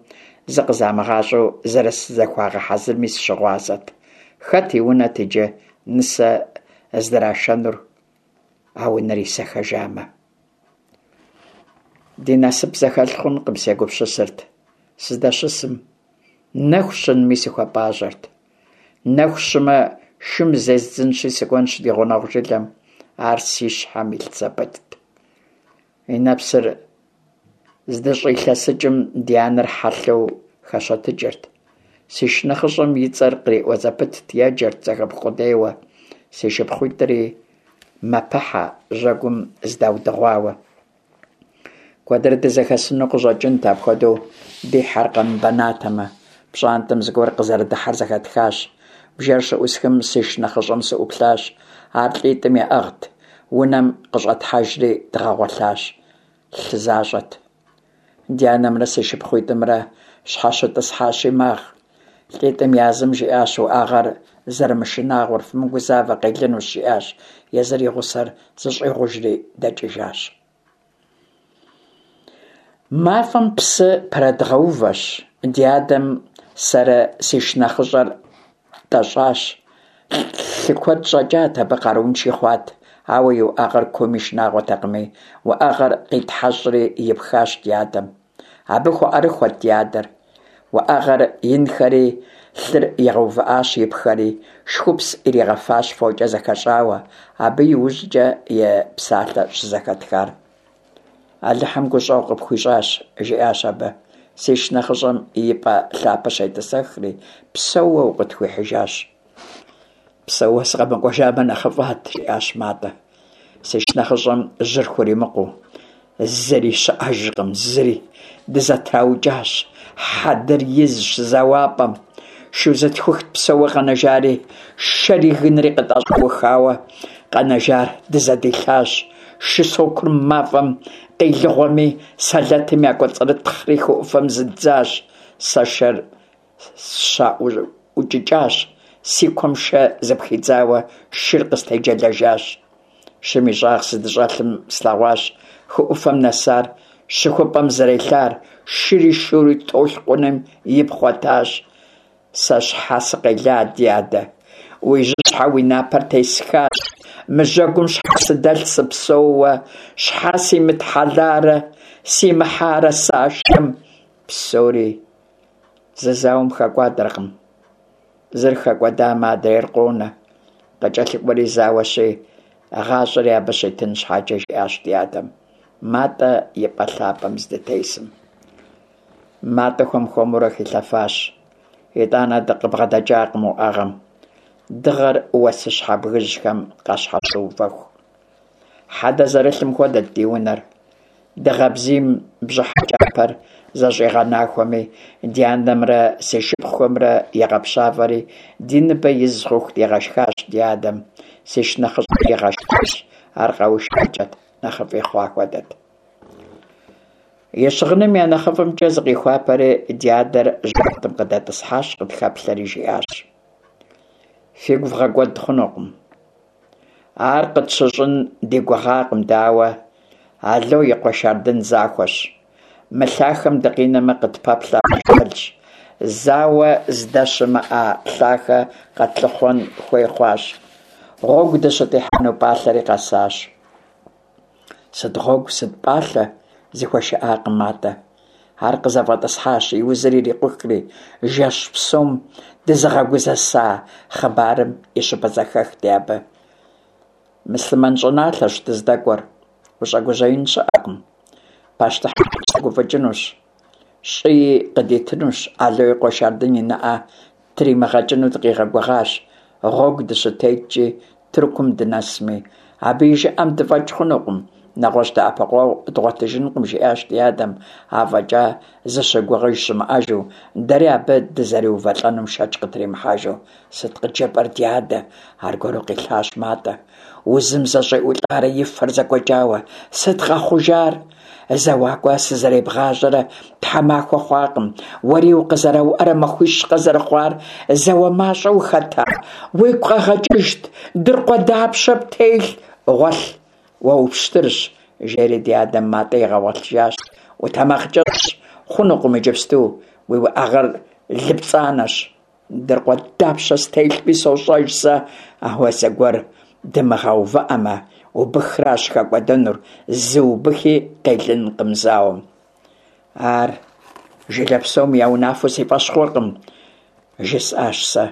S1: зыкъызамыгъащӏэу зэрызыхуагъэхьэзырми сыщыгъуазэт. Хэт и унэт иджы нысэ здрашэнур, а унэр исэхэжамэ? Ди насып зэхэлъ хъункъым, сегупсысырт сыздэщысым. Нэху щынми сыхуэпӏащӏэрт. Нэху щымэ, шым зездзынщи сыкӏуэнщ ди гъунэгъу жылэм. Ар си щхьэм илъ зэпытт. И нэпсыр здыщӏилъэсыкӏым ди анэр хьэлъэу хэщэтыкӏырт. Си шынэхъыщӏэм и цӏэр къриӏуэ зэпытт, еджэрт зэхэпх къудейуэ. Си шыпхъуитӏри мэпыхьэ жьэгум здаудыгъуауэ. Куэдрэ дызэхэсыну къыщӏэкӏынт апхуэдэу ди хьэр къэмыбэнатэмэ. Пщӏантӏэм зыгуэр къызэрыдыхьэр зэхэтхащ. Бжэр щыӏусхым си шынэхъыщӏэм сыӏуплъащ. Ар лӏитӏым яӏыгът. Унэм къыщӏэтхьэжри дгъэгъуэлъащ. Лъы защӏэт. Ди анэмрэ си шыпхъуитӏымрэ щхьэщытӏысхьащи магъ. Лӏитӏым я зым жиӏащ уӏэгъэр зэрымышынагъуэр, фымыгузавэ, къелынущ, жиӏащ, езыр и гъусэр зыщӏигъужри дэкӏыжащ. Мафӏэм псы пэрыдгъэувэщ, ди адэм сэрэ си шынэхъыщӏэр тӏэщӏащ. Лъы куэд щӏэкӏат, абы къаруунши хъуат, ауэ и уӏэгъэр кууми шынагъуэтэкъыми, уӏэгъэр къитхьэщӏри ипхащ ди адэм. Абы хуэӏэрыхуэт ди адэр. Уӏэгъэр инхэри, лъыр игъэувыӏащ ипхэри, шхупс иригъэфащ фокӏэ зэхэщӏауэ, абы иужькӏэ и псалъэ щызэхэтхар. Алыхьым гущӏэгъу къыпхуищӏащ, жиӏащ абы, си шынэхъыщӏэм и пӏэ лъапэ щетӏысэхри, псэууэ укъытхуихьыжащ. Псэууэ сыкъэмыкӏуэжамэ нэхъыфӏат, жиӏащ Матӏэ, си шынэхъыщӏэм жьыр хуримыкъуу. Зыри щыӏэжкъым, зыри. Дызэтраукӏащ, хьэдэр изщ зэуапӏэм. Шу зытхухт псэууэ къэнэжари, шэри гынри къытӏэщӏэухауэ къэнэжар дызэдилъащ. Шы сокур мафӏэм къилыгъуэми, сэлэтым якӏуэцӏрытхъри хы ӏуфэм зыддзащ. Сэ шэр сщаӏукӏыкӏащ, си куэм шэ зыпхидзауэ шыр къыстеджэлэжащ. Шым и щӏагъ сыздыщӏэлъым слъэгъуащ хы ӏуфэм нэсар щыхупӏэм зэрелъар, шыри шури толъкъуным ипхъуэтащ. Сэ щхьэ сыкъела, ди адэ? Уи жьыщхьэ уи напэр тесхащ. Мы жьэгум щхьэ сыдэлъ сыпсэууэ, щхьэ симытхьэларэ? Симыхьарэ сэ а шэм! Псори зы зауэм хэкӏуадэркъым. Зыр хэкӏуэдамэ, адрейр къонэ. Къыкӏэлъыкӏуэри зауэщи, гъащӏэри абы щитын щхьэкӏэ, жиӏащ ди адэм, Матӏэ и пӏэ лъапӏэм здытесым. Матӏэ хуэм-хуэмурэ хилъэфащ. Итӏанэ дыкъыбгъэдэкӏакъым уӏэгъэм, дыгъэр уэсыщхьэ бгыжьхэм къащхьэщыувэху. Хьэдэ зэрылъым хуэдэт ди унэр. Дыгъэ бзийм бжьыхьэ кӏапэр зэщӏигъэнахуэми, ди анэмрэ си шыпхъухэмрэ игъэпщафӏэри, ди ныбэ из хъуху дигъэшхащ ди адэм. Си шынэхъыщӏэр игъэшхащ, ар къэушакӏэт, нэхъыфӏи хъуа хуэдэт. И щыгъыным я нэхъыфӏымкӏэ зыкъихуапэри, ди адэр жьантӏэм къыдэтӏысхьащ, къытхэплъэри жиӏащ: Фигу вгъэкӏуэд хъунукъым. Ар къытщыщӏын ди гугъакъым дэ, ауэ Ало и къуэ Шардын захуэщ. Мы лъахэм дыкъинэмэ, къытпэплъэр ажалщ. Зауэ здэщымыӏэ лъахэ къэтлъыхъуэн хуей хъуащ. Гъуэгу дыщытехьэну пӏалъэри къэсащ. Сыт гъуэгу, сыт пӏалъэ? зыхуэшыӏакъым Матӏэ. Ар къызэфӏэтӏысхьащ, и узыр ирикъухри, жэщ псом дызыгъэгузэса хъыбарым и щыпэзэхэхти абы. Мыслъымэн щӏыналъэщ дыздэкӏуэр, ущӏэгужьеин щыӏэкъым. Пащтыхьыр къытщыгуфӏыкӏынущ, щӏыи къыдитынущ, Ало и къуэ Шардын и нэӏэ Тримыгъэкӏыну дыкъигъэгугъащ, гъуэгу дыщытеткӏи, Тыркум дынэсми. Абы и жыӏэм дыфӏэкӏ хъунукъым, нэгъуэщӏ дэӏэпыкъуэгъу дгъуэтыжынкъым, жиӏащ ди адэм, афӏэкӏа зыщыгугъыж щымыӏэжу, дэри абы дызэреувэлӏэнум шэч къытримыхьэжу. Сыт къыджепӏэр, ди адэ? аргуэру къилъащ Матӏэ. Узым зэщӏиӏулӏарэ и фэр зэкӏуэкӏауэ, сыт къэхъужар? Зэуакӏуэ сызэребгъажьэрэ тхьэмахуэ хъуакъым, уэри укъызэрауӏэрэ махуищкъэ зэрыхъуар, зауэ мащӏэ ухэта? Уигу къэгъэкӏыжт, дыркъуэ дапщэ птелъ? Гъуэлъ, уэ упщтырщ, жери ди адэм Матӏэ игъэгъуэлъыжащ. Утэмакъкӏэщӏщ, хъунукъым иджыпсту, уи уӏэгъэр лыпцӏанэщ. Дыркъуэ дапщэ стелъми сощӏэж сэ, ауэ зэгуэр дымыгъэувыӏэмэ, убыхращ хэкӏуэдэнур, зы убыхи къелынкъым зауэм. Ар жылэ псом я унафэу си фӏэщ хъуркъым, жысӏащ сэ.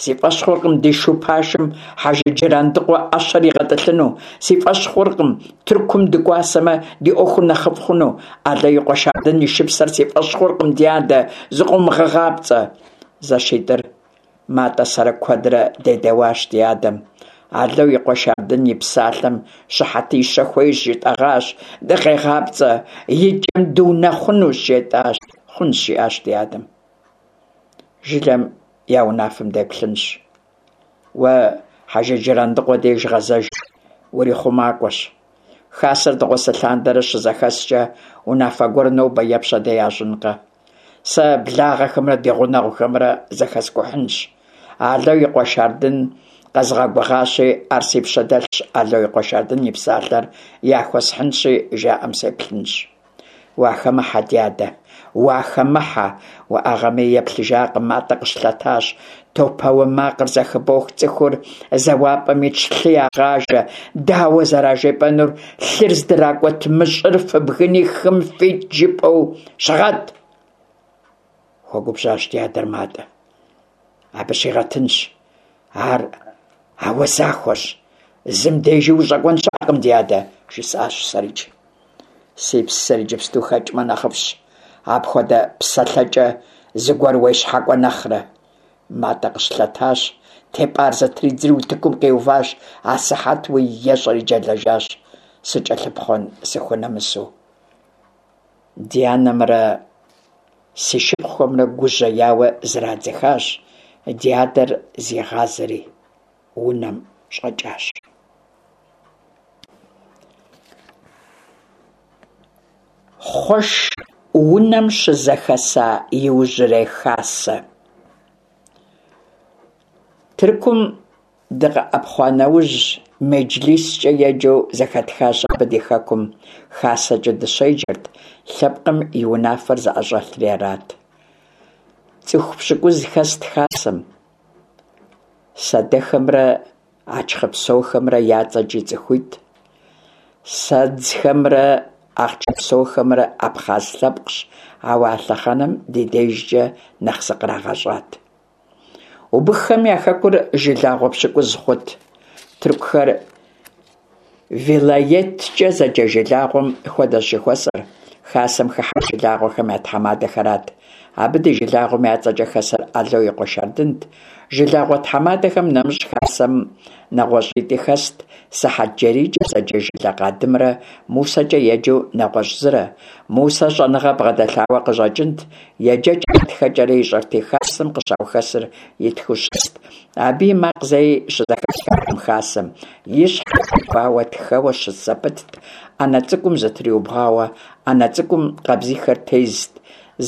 S1: Си фӏэщ хъуркъым ди шу пашэм Хьэжы Джырандыкъуэ ӏэщэр игъэтӏылъыну. Си фӏэщ хъуркъым Тыркум дыкӏуасэмэ, ди ӏуэхур нэхъыфӏ хъуну. Ало и къуэ Шардын и шыпсэр си фӏэщ хъуркъым, ди адэ, зыкъыумыгъэгъапцӏэ. Зэшитӏыр Матӏэ сэрэ куэдрэ дедэуащ ди адэм. Ало и къуэ Шардын и псалъэм щыхьэтищэ хуейщ, жытӏэгъащ, дыкъегъапцӏэ, и кӏэм дунэхъунущ, жетӏащ. Хъунщ, жиӏащ ди адэм. Жылэм я унафэм деплъынщ. Уэ Хьэжы Джырандыкъуэ деж гъэзэж, урихъумакӏуэщ. Хасэр дыгъуасэ лъандэрэ щызэхэскӏэ унафэ гуэр нобэ е пщэдей ящӏынкъэ? Сэ благъэхэмрэ ди гъунэгъухэмрэ зэхэскӏухьынщ. Ало и къуэ Шардын къэзгъэгугъащи, ар си пщэ дэлъщ, Ало и къуэ Шардын и псалъэр яхуэсхьынщи, жаӏэм сеплъынщ. Уахэмыхьэ, дядэ, уахэмыхьэ! Уӏэгъэми еплъыжакъым, Матӏэ къыщылъэтащ. Топауэ макъыр зэхыбох, цӏыхур зэуапӏэм итщ, лъы ягъажэ. Дауэ зэражепӏэнур, лъыр здракӏуэт мы щӏыр фыбгыни хым фикӏ жыпӏэу щыгъэт! Хуэгубжьащ ди адэр Матӏэ. Абы щигъэтынщ. Ар ауэ захуэщ. Зым дежи ущӏэкӏуэн щыӏэкъым, ди адэ, жысӏащ сэрикӏ. Си псэр иджыпсту хэкӏмэ нэхъыфӏщ, апхуэдэ псэлъэкӏэ зыгуэр уещхьэкӏуэ нэхърэ. Матӏэ къыщылъэтащ, тепӏар зэтридзри утыкум къиуващ, асыхьэтуи ещӏэри джэлэжащ, сыкӏэлъыпхъуэн сыхунэмысу. Ди анэмрэ си шыпхъухэмрэ гужьеяуэ зрадзыхащ, ди адэр зигъазэри унэм щӏэкӏащ. Хъуэш унэм щызэхэса иужьрей хасэ. Тыркум дыкъэӏэпхъуа нэужь, меджлискӏэ еджэу зэхэтхащ абы ди хэкум хасэкӏэ дыщеджэрт, лъэпкъым и унафэр зыӏэщӏэлъри арат. Цӏыху пщыкӏуз хэст хасэм. Сэдэхэмрэ Ачхъыпсохэмрэ я цӏэкӏи цӏыхуитӏ, Сэдзхэмрэ Ахъчэпсохэмрэ абхъаз лъэпкъщ, ауэ а лъэхъэнэм ди дежкӀэ нэхъ зыкърагъэщӀат. Убыххэм я хэкур жылагъуэ пщыкӏуз хъурт. Тыркухэр вилайеткӀэ зэджэ жылагъуэм хуэдэщ жыхуэсӀэр, хасэм хыхьэр жылагъуэхэм я тхьэмадэхэрат. Абы ди жылагъуэм я цӀэкӀэ хэсыр Ало и къуэ Шардынт. Жылагъуэ тхьэмадэхэм нэмыщӀ хасэм нэгъуэщӀитӀи хэст, СыхьэтджэрийкӀэ зэджэ жылэ къадымрэ МусэкӀэ еджэу нэгъуэщӀ зырэ. Мусэ щӀэныгъэ бгъэдэлъауэ къыщӀэкӀынт, еджэкӀэрэ тхэкӀэрэ ищӀэрти, хасэм къыщаухэсыр итхыу щыст. Абы и макъ зэи щызэхэпхакъым хасэм, и щхьэр гъэувауэ тхэуэ щыс зэпытт, Ӏэнэ цӀыкӀум зытриубгъуауэ, ӏэнэ цӀыкӀум къабзийхэр тезт,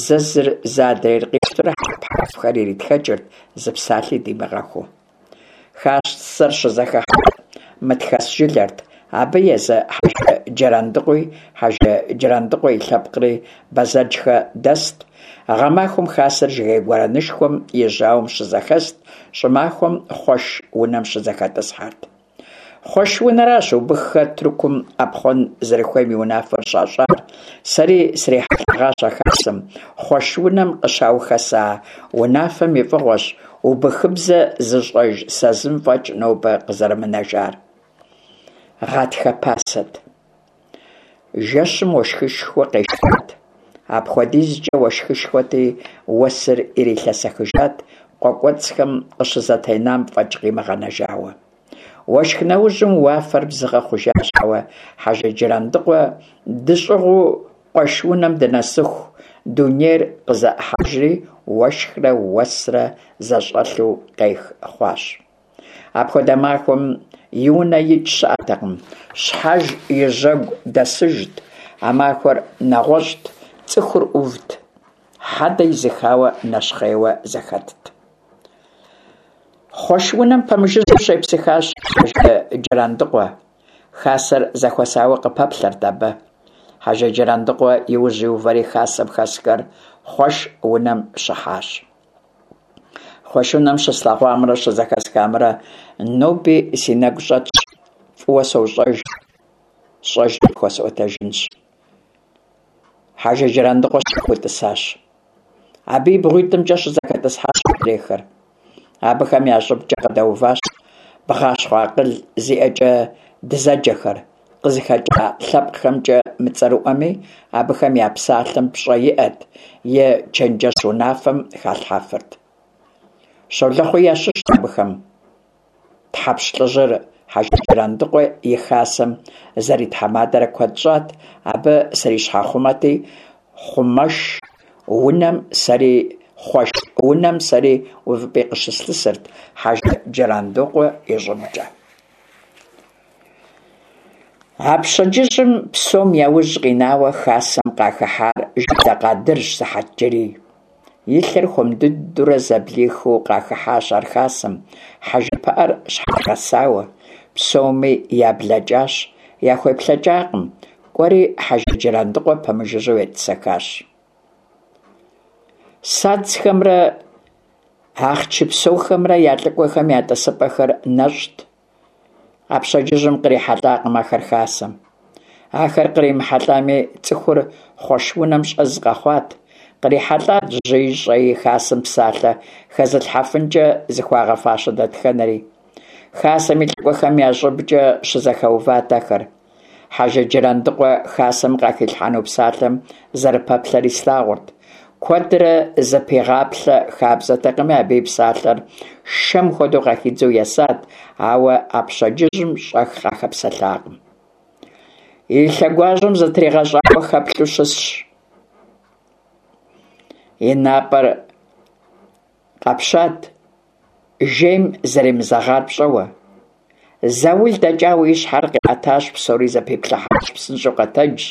S1: зэ зыр, зэ адрейр къищтурэ хьэрфхэр иритхэкӀырт, зы псалъи димыгъэхуу. Хасэр щызэхыхьэр Мытхэс жылэрт. Абы езы Хьэжы Джырандыкъуи, Хьэжы Джырандыкъуэ и лъэпкъри Бэзэджхэ дэст. Гъэмахуэм хасэр жыгей гуэрэнышхуэм и жьауэм щызэхэст, щӀымахуэм Хъуэш унэм щызэхэтӀысхьэрт. Хъуэш унэращ убыххэр Тыркум Ӏэпхъуэн зэрыхуейм и унафэр щащӀар. Сэри срихьэлӀэгъащ а хасэм. Хъуэш унэм къыщаухэса унафэм и фӀыгъуэщ убыхыбзэ зыщӀэж сэ зым фӀэкӀ нобэ къызэрымынэжар. Гъатхэ пасэт. Жэщым уэшхышхуэ къешхат. АпхуэдизкӀэ уэшхышхуэти, уэсыр ирилъэсэхыжат, къуэ кӀуэцӀхэм къыщызэтенам фӀэкӀ къимыгъэнэжауэ. Уэшх нэужьым уафэр бзыгъэ хъужащ, ауэ Хьэжы Джырандыкъуэ дыщӀыгъуу къуэш унэм дынэсыху, дунейр къызэӀыхьэжри уэшхрэ уэсрэ зэщӀэлъу къех хъуащ. Апхуэдэ махуэм и унэ икӀ щыӀэтэкъым, щхьэж и жьэгу дэсыжт. А махуэр нэгъуэщӀт, цӀыхур Ӏувт, хьэдэ изыхауэ нэщхъейуэ зэхэтт. Хъуэш унэм пэмыжыжьэу щепсыхащ Хьэжы Джырандыкъуэ. Хасэр зэхуэсауэ къыпэплъэрт абы. Хьэжы Джырандыкъуэ и ужь иувэри хасэм хэсхэр Хъуэш унэм щыхьащ. Хъуэш унэм щыслъэгъуамрэ щызэхэсхамрэ ноби си нэгу щӀэтщ, фӀыуэ сощӀэж, сщӀэжри пхуэсӀуэтэжынщ. Хьэжы Джырандыкъуэ щэхуу тӀысащ. Абы и бгъуитӀымкӀэ щызэхэтӀысхьащ адрейхэр. Абыхэм я щӀыбкӀэ къыдэуващ бгъащхъуэ акъыл зиӀэкӀэ дызэджэхэр, къызыхэкӀа лъэпкъхэмкӀэ мыцӀэрыӀуэми, абыхэм я псалъэм пщӀэ иӀэт, е чэнджэщ унафэм халъхьэфырт. Щолэхъуи ящыщт абыхэм. Тхьэпщ лӀыжьыр Хьэжы Джырандыкъуэ и хасэм зэритхьэмадэрэ куэд щӀат, абы срищхьэхъумэти, хъумэш унэм сэри Хъуэш унэм сэри увыпӀи къыщыслъысырт Хьэжы Джырандыкъуэ и щӀыбкӀэ. А пщэдджыжьым псом я ужь къинауэ хасэм къахыхьар жылэ къадырщ Сыхьэтджэрий. И лъэр хуэм дыдэурэ зэблихыу къахыхьащ ар хасэм, хьэжы пыӀэр щхьэригъэсауэ. Псоми яблэкӀащ, яхуеплъэкӀакъым, кӀуэри Хьэжы Джырандыкъуэ пэмыжыжьэу етӀысэхащ. Садзхэмрэ Ахъчыпсохэмрэ я лӀыкӀуэхэм я тӀысыпӀэхэр нэщӀт. А пщэдджыжьым кърихьэлӀакъым ахэр хасэм. Ахэр къримыхьэлӀами, цӀыхур Хъуэш унэм щӀэз къэхъуат. КърихьэлӀат жьыи щӀэи, хасэм псалъэ хэзылъхьэфынкӀэ зыхуагъэфащэ дэтхэнэри. Хасэм и лӀыкӀуэхэм я щӀыбкӀэ щызэхэуват ахэр. Хьэжы Джырандыкъуэ хасэм къахилъхьэну псалъэм зэрыпэплъэри слъагъурт. Куэдрэ зыпигъаплъэ хабзэтэкъыми, абы и псалъэр шэм хуэдэу къахидзэу есат, ауэ а пщэдджыжьым щӀэх къахэпсэлъакъым. И лъэгуажьэм зытригъэщӀауэ хэплъэу щысщ. И напӀэр къэпщат, жейм зэремызэгъар пщӀэуэ. Заул дэкӀауэ и щхьэр къиӀэтащ, псори зэпиплъыхьащ, псынщӀэу къэтэджщ,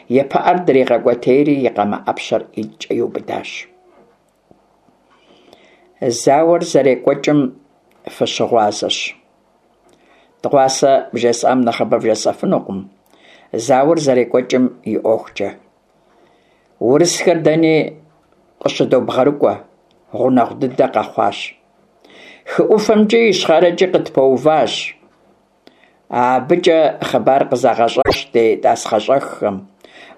S1: и пыӀэр дригъэкӀуэтейри и къамэ Ӏэпщэр ӀитӀкӀэ иубыдащ. Зауэр зэрекӀуэкӀым фыщыгъуазэщ. Дыгъуасэ вжесӀам нэхъыбэ вжесӀэфынукъым зауэр зэрекӀуэкӀым и ӀуэхукӀэ. Урысхэр дэни къыщыдобгъэрыкӀуэ, гъунэгъу дыдэ къэхъуащ. Хы ӀуфэмкӀи ищхъэрэкӀи къытпэуващ. АбыкӀэ хъыбар къызагъэщӀащ ди тӀасхъэщӀэххэм.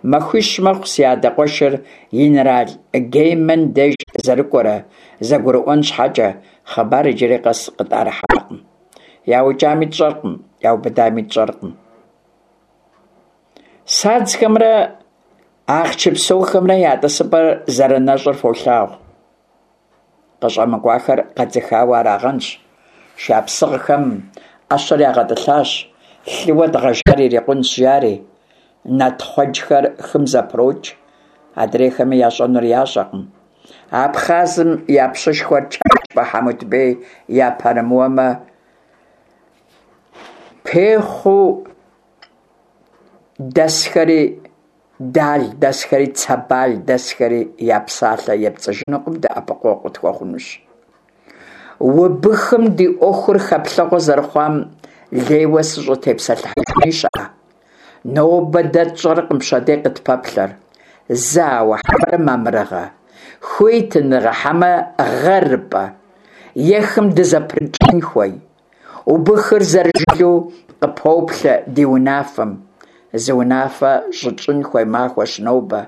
S1: Махуищ мэхъу си адэ къуэшыр инэрал Гейман деж зэрыкӏуэрэ, зэгурыӏуэн щхьэкӏэ, хъыбар иджыри къэс къытӏэрыхьакъым. Яукӏами тщӏэркъым, яубыдами тщӏэркъым. Садзхэмрэ ахъчыпсохэмрэ я тӏысыпӏэр зэрынэщӏыр фолъагъу. Къыщӏэмыкӏуахэр къэдзыхауэ арагъэнщ. Шапсыгъхэм ӏэщэр ягъэтӏылъащ, лъыуэ дгъэжар ирикъунщ, жари. Натхъуэджхэр хым зэпрокӏ, адрейхэми ящӏэнур ящӏэкъым. Абхъазым я пщышхуэр Чачбэ Хьэмутбей япэрымыуэмэ, Пехъу дэсхэри, Дал дэсхэри, Цэбал дэсхэри я псалъэ епцӏыжынукъым, дэӏэпыкъуэгъу къытхуэхъунущ. Убыхым ди ӏуэхур хэплъэгъуэ зэрыхъуам лейуэ сыщӏытепсэлъыхьыжыни щыӏэ? Нобэ дэ тщӏэркъым пщэдей къытпэплъэр. Зауэ хьэмэрэ мамырыгъэ, хуитыныгъэ хьэмэ гъэрыпӏэ, е хым дызэпрыкӏын хуей? Убыхыр зэрыжылэу къыпоплъэ ди унафэм. Зы унафэ щытщӏын хуей махуэщ нобэ.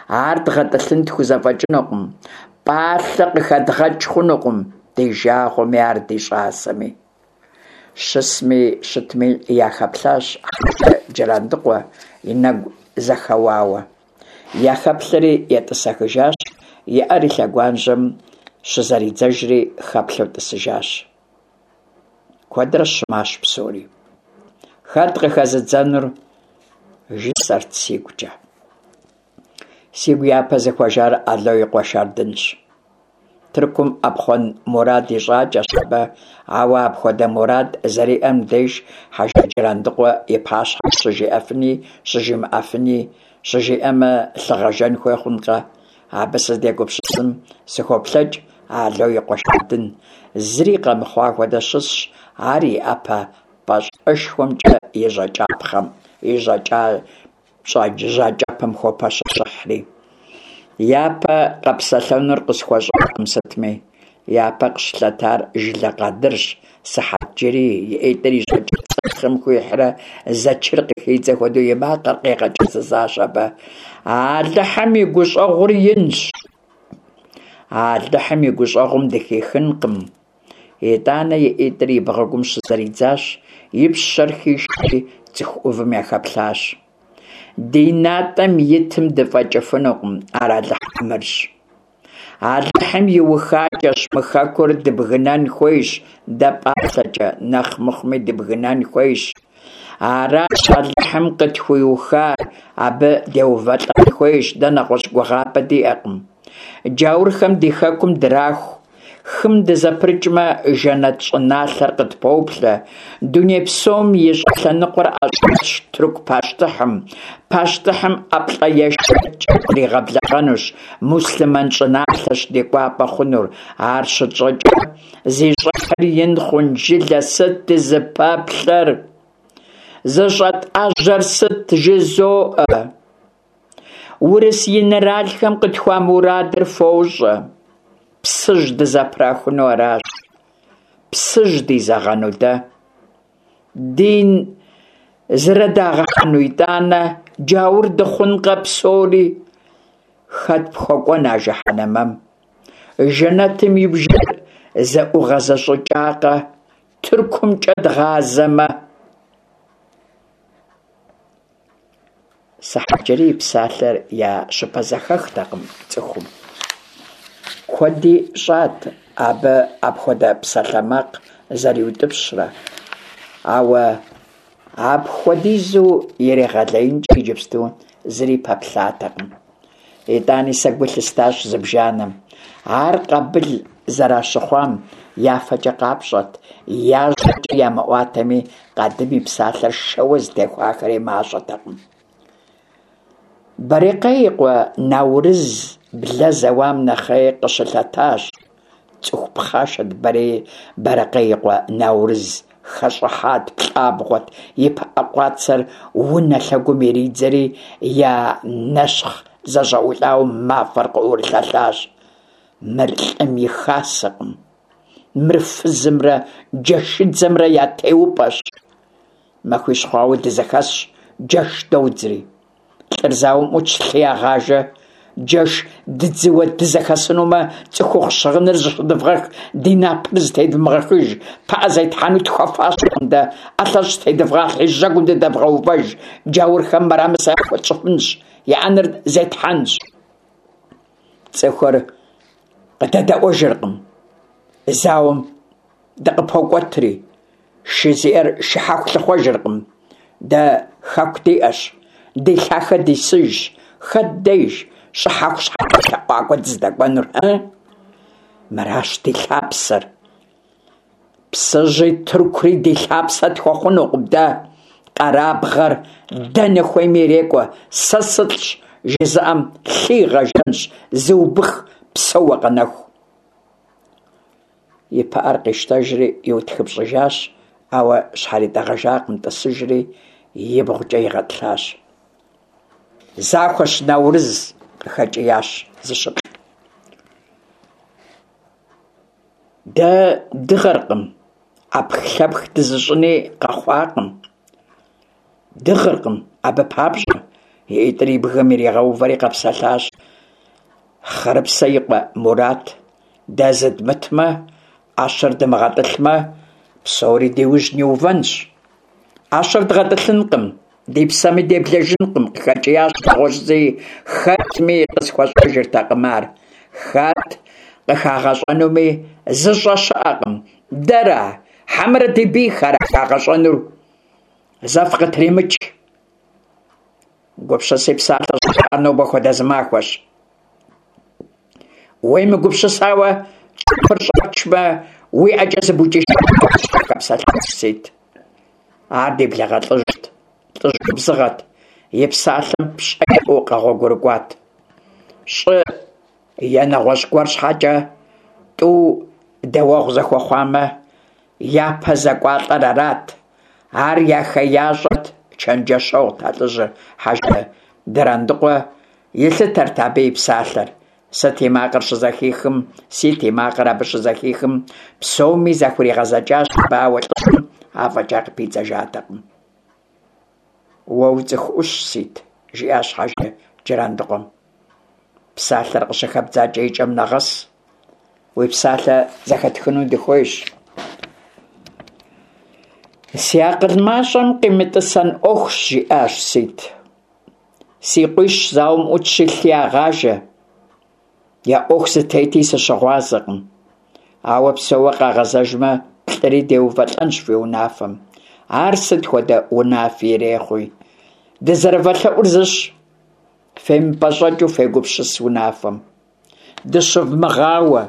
S1: Ар дгъэтӏылъын тхузэфӏэкӏынукъым, пӏалъэ къыхэдгъэкӏ хъунукъым, ди жагъуэми ар ди щӏасэми. Щысми щытми яхэплъащ Хьэжы Джырандыкъуэ и нэгу зэхэуауэ. Яхэплъэри етӏысэхыжащ, и ӏэр и лъэгуажьэм щызэридзэжри хэплъэу тӏысыжащ. Куэдрэ щымащ псори. Хэт къыхэзыдзэнур? Жысӏэрт сигукӏэ. Сигу япэ зыхуэжар Ало и къуэ Шардынщ. Тыркум ӏэпхъуэн мурад ищӏакӏэщ абы, ауэ апхуэдэ мурад зэриӏэр мыбдеж Хьэжы Джырандыкъуэ и пащхьэм щыжиӏэфыни щыжимыӏэфыни, щыжиӏэмэ, лъы гъэжэн хуей хъункъэ? Абы сыздегупсысым сыхуоплъэкӏ Ало и къуэ Шардын. Зыри къэмыхъуа хуэдэ щысщ, ар и ӏэпэ пӏащӏэшхуэмкӏэ и жьакӏапхъэм, и жьакӏэпэм хопэщэщыхьри. Япэ къэпсэлъэнур къысхуэщӏакъым сытми. Япэ къыщылъэтар Жылэ Къадырщ, Сыхьэтджэрий и ӏитӏыр и жьакӏэ цӏырхъым хуихьрэ зэчыр къыхидзэ хуэдэу и макъыр къигъэкӏэзызащ абы. Алыхьым и гущӏэгъур инщ. Алыхьым и гущӏэгъум дыхихынкъым. Итӏанэ и ӏитӏыр и бгъэгум щызэридзащ, и пщэр хишри цӏыху ӏувым яхэплъащ. Ди натӏэм итым дыфӏэкӏыфынукъым, ар Алыхь ӏэмырщ. Алыхьым иухакӏэщ мы хэкур дыбгынэн хуейщ дэ пӏалъэкӏэ, нэхъ мыхъуми дыбгынэн хуейщ. Аращ Алыхьым къытхуиухар, абы деувэлӏэн хуейщ, дэ нэгъуэщӏ гугъапӏэ диӏэкъым. Джаурхэм ди хэкум драху. Хым дызэпрыкӏмэ, жэнэт щӏыналъэр къытпоплъэ. Дуней псом и щӏылъэныкъуэр ӏэщӏэлъщ тырку пащтыхьым. Пащтыхьым ӏэплӏэешэкӏкӏэ дригъэблэгъэнущ. Муслъымэн щӏыналъэщ ди кӏуапӏэ хъунур. Ар щытщӏэкӏэ, зи щӏыхьыр ин хъун жылэ сыт дызыпэплъэр? Зыщӏэтӏэжьэр сыт жызоӏэ? Урыс инэралхэм къытхуамурадыр фощӏэ. Псыжь дызэпрахуну аращ. Псыжь дизэгъэну дэ? Дин зрыдагъэхьэну итӏанэ, джаур дыхъункъэ псори? Хэт пхуэкӏуэн а жыхьэнэмэм? Жэнэтым и бжэр зэӏугъэзэщӏыкӏакъэ, Тыркумкӏэ дгъазэмэ? Сыхьэтджэрий и псалъэр я щыпэзэхэхтэкъым цӏыхум. Куэди щӏат абы апхуэдэ псалъэмакъ зэриутӏыпщрэ, ауэ апхуэдизу иригъэлеинкӏэ иджыпсту зыри пэплъатэкъым. Итӏани сэ гу лъыстащ зыбжанэм. Ар къабыл зэращыхъуам я фэкӏэ къапщӏэрт, я жьэкӏэ ямыӏуатэми, къадым и псалъэр шэуэ зытехуахэри мащӏэтэкъым. Барекъей и къуэ Наурыз блэ зэуам нэхъей къыщылъэтащ. Цӏыху пхъашэт Барэкъей и къуэ Наурыз, хэщӏыхьат, плӏабгъуэт, и пыӏэ къуацэр унэ лъэгум иридзэри, я нэщхъ зэщӏэӏулӏауэ мафӏэр къыӏурылъэлъащ. Мыр лӏым и хасэкъым. Мыр фызымрэ джэшыдзэмрэ я теупӏэщ. Махуищ хъуауэ дызэхэсщ, джэш додзри. Лӏыр зауэм ӏутщ, лъы ягъажэ. Джэш дыдзыуэ дызэхэсынумэ, цӏыхухъу щыгъыныр зыщыдывгъэх, ди напэр зытедвмыгъэхыж, пыӏэ зетхьэну тхуэфащэкъым дэ, ӏэлъэщӏ зытедывгъалъхьи, жьэгум дыдэвгъэувэж, джаурхэм мырамысэ яхуэтщӏыфынщ, я ӏэнэр зетхьэнщ. Цӏыхур къыдэдэӏуэжыркъым, зауэм дыкъыпокӏуэтри, шы зиӏэр шыхьэху лъыхъуэжыркъым. Дэ хэку диӏэщ, ди лъахэ дисыжщ, хэт деж щӏыхьэху щхьэкӏэ лъэӏуакӏуэ дыздэкӏуэнур, ы? Мыращ ди лъапсэр. Псыжьи Тыркури ди лъапсэ тхуэхъунукъым дэ. Къэрабгъэр дэнэ хуейми ирекӏуэ, сэ сылӏщ жызыӏэм лъы игъэжэнщ, зы убых псэууэ къэнэху. И пыӏэр къищтэжри иутхыпщӏыжащ, ауэ щхьэритӏэгъэжакъым, тӏысыжри ибгъукӏэ игъэтӏылъащ. Захуэщ, Наурыз, къыхэкӏиящ зыщыплӏ. Дэ дыгъэркъым, ӏэпхлъэпх дызыщӏыни къэхъуакъым. Дыгъыркъым абы папщӏэ, и ӏитӏыр и бгым иригъэувэри къэпсэлъащ Хъырыпсэ и къуэ Мурат. Дэ зыдмытмэ, ӏэщэр дымыгъэтӏылъмэ, псори ди ужь ниувэнщ. Ӏэщэр дгъэтӏылъынкъым, ди псэми деблэжынкъым, къыхэкӏиящ нэгъуэщӏ зыи, хэтми къысхуэщӏэжыртэкъым ар. Хэт къыхагъэщӏэнуми зыщӏэ щыӏэкъым. Дэра, хьэмэрэ ди бийхэра хагъэщӏэнур? Зэ фыкъытримыч. Гупсыси псалъэ щӏыжаӏэр нобэ хуэдэ зы махуэщ. Уемыгупсысауэ кӏыфыр щӏэпчмэ, уи ӏэкӏэ зыбукӏыжынщ, къыхэпсэлъащ Сит. Ар ди благъэ лӏыжьт, лӏыжь губзыгъэт, и псалъэм пщӏэ иӏэу къэгъуэгурыкӏуат. Щӏы е нэгъуэщӏ гуэр щхьэкӏэ тӏу дэуэгъу зэхуэхъуамэ, япэ зэкӏуалӏэр арат. Ар я хеящӏэт, чэнджэщэгъут а лӏыжьыр. Хьэжы Джырандыкъуэ илъытэрт абы и псалъэр. Сыт и макъыр щызэхихым, Сит и макъыр абы щызэхихым, псоми захуригъэзэкӏащ абы, ауэ лӏыжьым афӏэкӏа къыпидзэжатэкъым. Уэ уцӏыху ӏущщ, Сит, жиӏащ Хьэжы Джырандыкъуэм. Псалъэр къыщыхэбдзакӏэ и кӏэм нэгъэс. Уи псалъэ зэхэтхыну дыхуейщ. Си акъыл мащӏэм къимытӏысэн ӏуэхущ, жиӏащ Сит. Си къуищ зауэм ӏутщи, лъы ягъажэ. Я ӏуэху зытети сыщыгъуазэкъым. Ауэ псэууэ къагъэзэжмэ, плӏыри деувэлӏэнщ фи унафэм. Ар сыт хуэдэ унафи ирехъуи. Дызэрывэлъэӏур зыщ, фемыпӏэщӏэкӏыу фегупсыс унафэм. Дыщывмыгъауэ.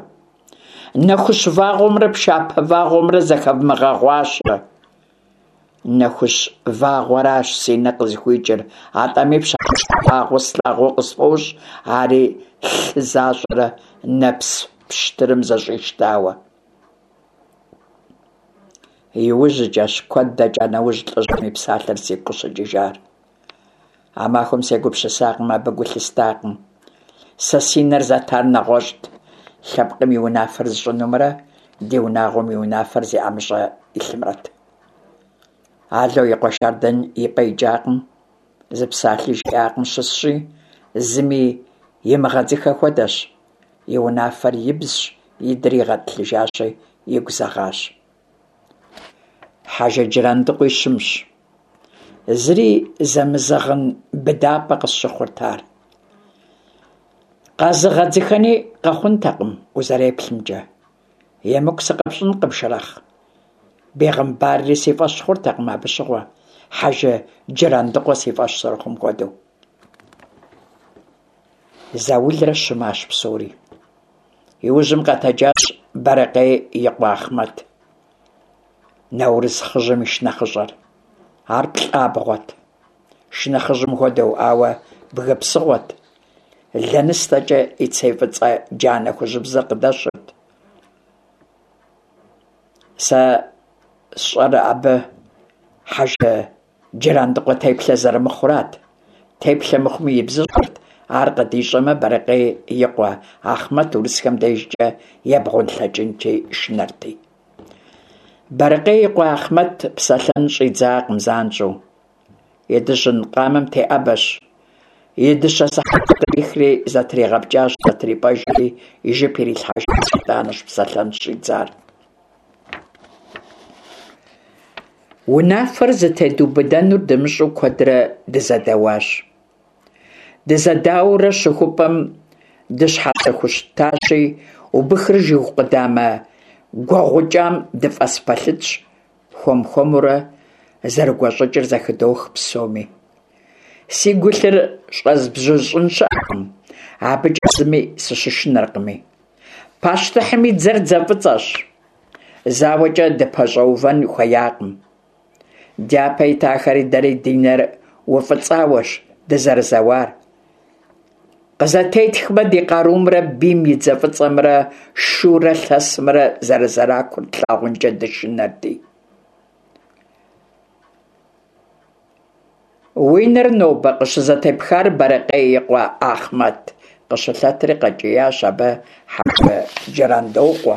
S1: Нэхущ вагъуэмрэ пшапэ вагъуэмрэ зэхэвмыгъэгъуащэ. Нэхущ вагъуэращ си нэ къызыхуикӏыр, атӏэми пшапэ вагъуэ слъагъуу къысфӏощӏ, ари лъы защӏэрэ нэпс пщтырым зэщӏищтауэ. Иужькӏэщ, куэд дэкӏа нэужь, лӏыжьым и псалъэр сигу къыщыкӏыжар. А махуэм сегупсысакъым, абы гу лъыстакъым. Сэ си нэр зэтар нэгъуэщӏт, лъэпкъым и унафэр зыщӏынумрэ ди унагъуэм и унафэр зи ӏэмыщӏэ илъымрэт. Ало и къуэ Шардэн и пӏэ икӏакъым, зы псалъи жиӏакъым, щысщи, зыми имыгъэдзыхэ хуэдэщ. И унафэр ибзщ, идри игъэтӏылъыжащи, игу зэгъащ. Хьэжы Джырандыкъуи щымщ. Зыри зэмызэгъын быдапӏэ къысщыхъурт ар. Къэзыгъэдзыхэни къэхъунтэкъым узэреплъымкӏэ. Емыкӏу сыкъэпщӏынкъым, Шэрэхъ. Бегъымбарри си фӏэщ хъуртэкъым абы щыгъуэ, Хьэжы Джырандыкъуэ си фӏэщ зэрыхъум хуэдэу. Заулрэ щымащ псори. Иужьым къэтэджащ Бэрэкъей и къуэ Ахъмэт. Наурыз хъыжьым и шынэхъыщӏэр. Ар плӏабгъуэт, шынэхъыжьым хуэдэу, ауэ бгы псыгъуэт. Лэныстэкӏэ и цей фӏыцӏэ джанэ хужьыбзэр къыдэщырт. Сэ сщӏэр абы Хьэжы Джырандыкъуэ теплъэ зэрымыхъурат. Теплъэ мыхъуми ибзыщӏырт, ар къыдищӏэмэ, Бэрэкъей и къуэ Ахъмэт урысхэм дежкӏэ ебгъунлъэкӏынкӏи шынэрти. Бэрэкъей и къуэ Ахъмэт псэлъэн щӏидзакъым занщӏэу. И дыжьын къамэм теӏэбэщ. И дыщэ сыхьэтыр кърихри зэтригъэпкӏащ, зэтрипӏэжри и жып ирилъхьэжащ, итӏанэщ псэлъэн щыщӏидзар. Унафэр зытедубыдэнур дымыщӏэу куэдрэ дызэдэуащ. Дызэдауэурэ щыхупӏэм дыщхьэзэхущтащи, убыхыр жыг къудамэ гуэгъукӏам дыфӏэс пэлъытщ, хуэм-хуэмурэ зэрыгуэщӏыкӏыр зэхыдох псоми. Сигу илъыр щӏэзбзыщӏын щыӏэкъым, абыкӏэ зыми сыщышынэркъыми. Пащтыхьым и дзэр дзэ фӏыцӏэщ, зауэкӏэ дыпэщӏэувэн хуеякъым. Дяпэ итахэри дэри ди нэр уфӏыцӏауэщ дызэрызэуар. Къызэтетхмэ, ди къарумрэ бийм и дзэ фӏыцӏэмрэ шурэ лъэсымрэ зэрызэракур тлъагъункӏэ дышынэрти. Уи нэр нобэ къыщызэтепхар Бэрыкъей и къуэ Ахъмэт? къыщылъэтри къэкӏиящ абы Хьэжы Джырандокъуэ.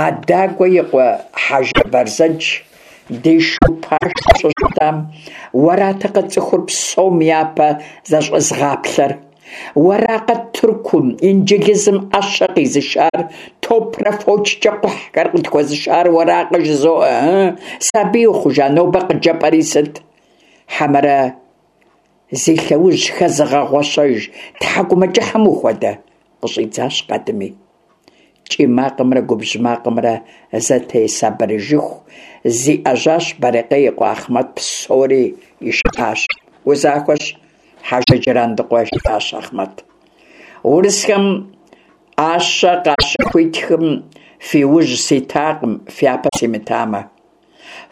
S1: Адагуэ и къуэ Хьэжы Бэрзэдж ди шу пашэу щыщытам, уэратэкъэ цӏыхур псом япэ зэщӏэзгъаплъэр? Уэракъэ Тыркум, Инджылызым ӏэщэ къизышар, топрэ фочкӏэ кхъухьхэр къытхуэзышар уэракъэ жызоӏэ, ы? Сабий ухъужа нобэ къыджепӏэри сыт? Хьэмэрэ зи лъэужь хэзыгъэгъуэщэж тхьэкӏумэкӏыхьым ухуэдэ? къыщӏидзащ къадыми. Кӏий макъымрэ губжь макъымрэ зэтесабырыжыху зиӏэжьащ Бэрыкъей и къуэ Ахъмэт псори ишыӏащ. Узахуэщ, Хьэжы Джырандыкъуэ, жиӏащ Ахъмэт. Урысхэм ӏэщэ къащыхуитхым фи ужь ситакъым, фяпэ симытамэ.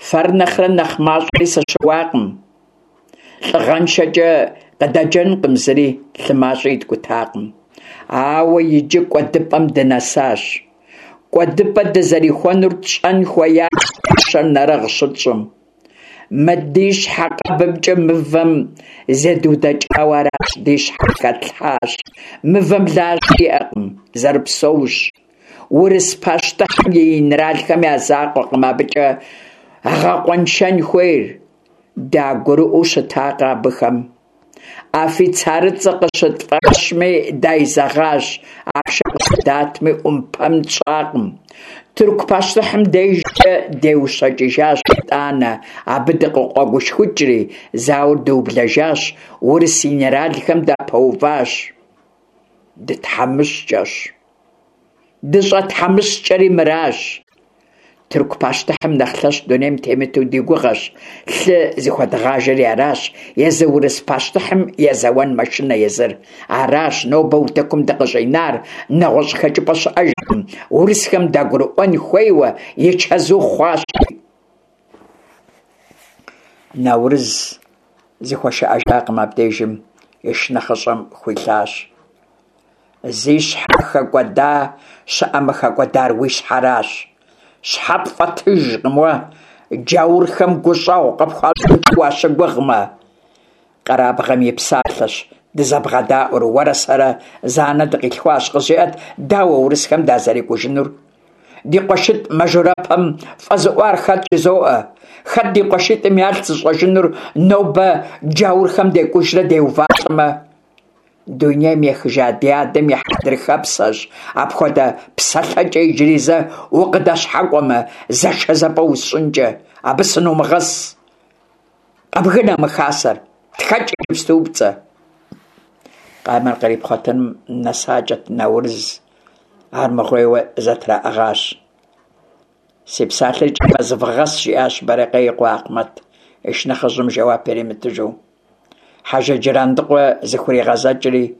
S1: Фэр нэхърэ нэхъ мащӏэри сыщыуакъым. Лӏыгъэншэкӏэ къыдэджэнкъым зыри, лъы мащӏи иткӏутакъым. Ауэ иджы кӏуэдыпӏэм дынэсащ. Кӏуэдыпӏэ дызэрихуэнур тщӏэн хуеящ ӏэщэр нэрыгъ щытщӏым. Мы ди щхьэ къэбымкӏэ мывэм зедудэкӏауэ аращ, ди щхьэр хэтлъхьащ. Мывэм лажьэ иӏэкъым, зэрыпсэущ. Урыс пащтыхьым и инэралхэм я закъуэкъым абыкӏэ гъэкъуэншэн хуейр. Дагурыӏуэу щытакъэ абыхэм? Афицарыцӏэ къыщытфӏащми дайзэгъащ, ахъшэ къыщыдатми ӏумпэм тщӏакъым. Тырку пащтыхьым дежкӏэ деущэкӏыжащ итӏанэ, абы дыкъыкъуэгушхукӏри, зауэр дыублэжащ, урыс инэралхэм дапэуващ. Дытхьэмыщкӏэщ. Дыщӏэтхьэмыщкӏэри мыращ. Тырку пащтыхьым нэхъ лъэщ дунейм темыту ди гугъэщ, лъы зыхуэдгъажэри аращ, езы урыс пащтыхьым езэуэн мэшынэ езыр. Аращ нобэ утыкум дыкъыщӏинар, нэгъуэщӏ хэкӏыпӏэ щыӏэжкъым, урысхэм дагурыӏуэн хуейуэ и чэзу хъуащ. Наурыз зыхуэшыӏэжакъым абдежым, и шынэхъыщӏэм хуилъащ. Зи щхьэ хэкӏуэда щыӏэмэ, хэкӏуэдар уи щхьэращ. Щхьэ пфӏэтыжкъым уэ, джаурхэм гущӏэгъу къыпхуащӏынкӏэ уащыгугъмэ. Къэрабгъэм и псалъэщ дызэбгъэдаӏуэр, уэрэ сэрэ зы анэ дыкъилъхуащ, къызжеӏэт, дауэ урысхэм дазэрекӏужынур? Ди къуэшитӏ мажорэпэм фӏэзыӏуар хэт жызоӏэ? Хэт ди къуэшитӏым ялъ зыщӏэжынур нобэ джаурхэм декӏужрэ деувалӏэмэ? Дунейм ехыжа ди адэм и хьэдрыхэпсэщ, апхуэдэ псэлъэкӏэ иджыри зэ укъыдэщхьэкӏуэмэ, зэшэзэпӏэ усщӏынкӏэ, абы сынумыгъэс. Къэбгынэ мы хасэр, тхэкӏ иджыпступцӏэ. Къамэр кърипхъуэтыным нэсакӏэт Наурыз, армыгъуейуэ зэтраӏыгъащ. Си псалъэр и кӏэм нэзвгъэс, жиӏащ Бэрыкъей и къуэ Ахъмэт, и шынэхъыжьым жэуап иримытыжу. Хьэжы Джырандыкъуэ зыхуригъэзэкӏри,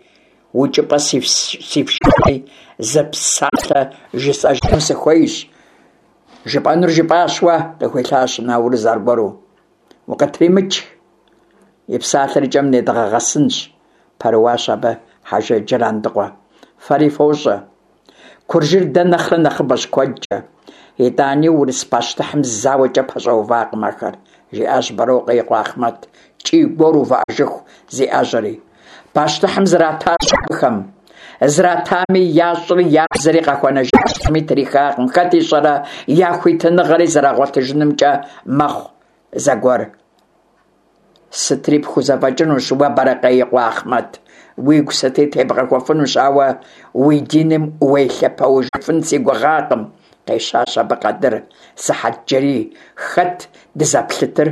S1: укӏыпӏэ сифшами, зы псалъэ жысӏэжыну сыхуейщ. Жыпӏэнур жыпӏащ уэ, къыхуилъащ Наурыз аргуэру. Укъытримыч. И псалъэр и кӏэм недгъэгъэсынщ, пэрыуащ абы Хьэжы Джырандыкъуэ. Фэри фощӏэ. Куржыр дэ нэхърэ нэхъыбэщ куэдкӏэ. Итӏани урыс пащтыхьым зауэкӏэ пэщӏэувакъым ахэр, жиӏащ Бэрокъуэ и къуэ Ахъмэт, кӏий-гуор увыӏэжыху зиӏэжьэри. Пащтыхьым зратащ абыхэм. Зратами, ящӏри я бзэри къахуэнэжащ, зыми трихакъым, хэт ищӏэрэ я хуитыныгъэри зэрагъуэтыжынымкӏэ мэхъу зэгуэр. Сытри пхузэфӏэкӏынущ уэ, Бэрэкъей и къуэ Ахъмэт, уигу сыти тебгъэхуэфынущ, ауэ уи диным уелъэпэуэжыфын си гугъакъым, къещащ абы Къадыр Сыхьэтджэрий. Хэт дызэплъытыр?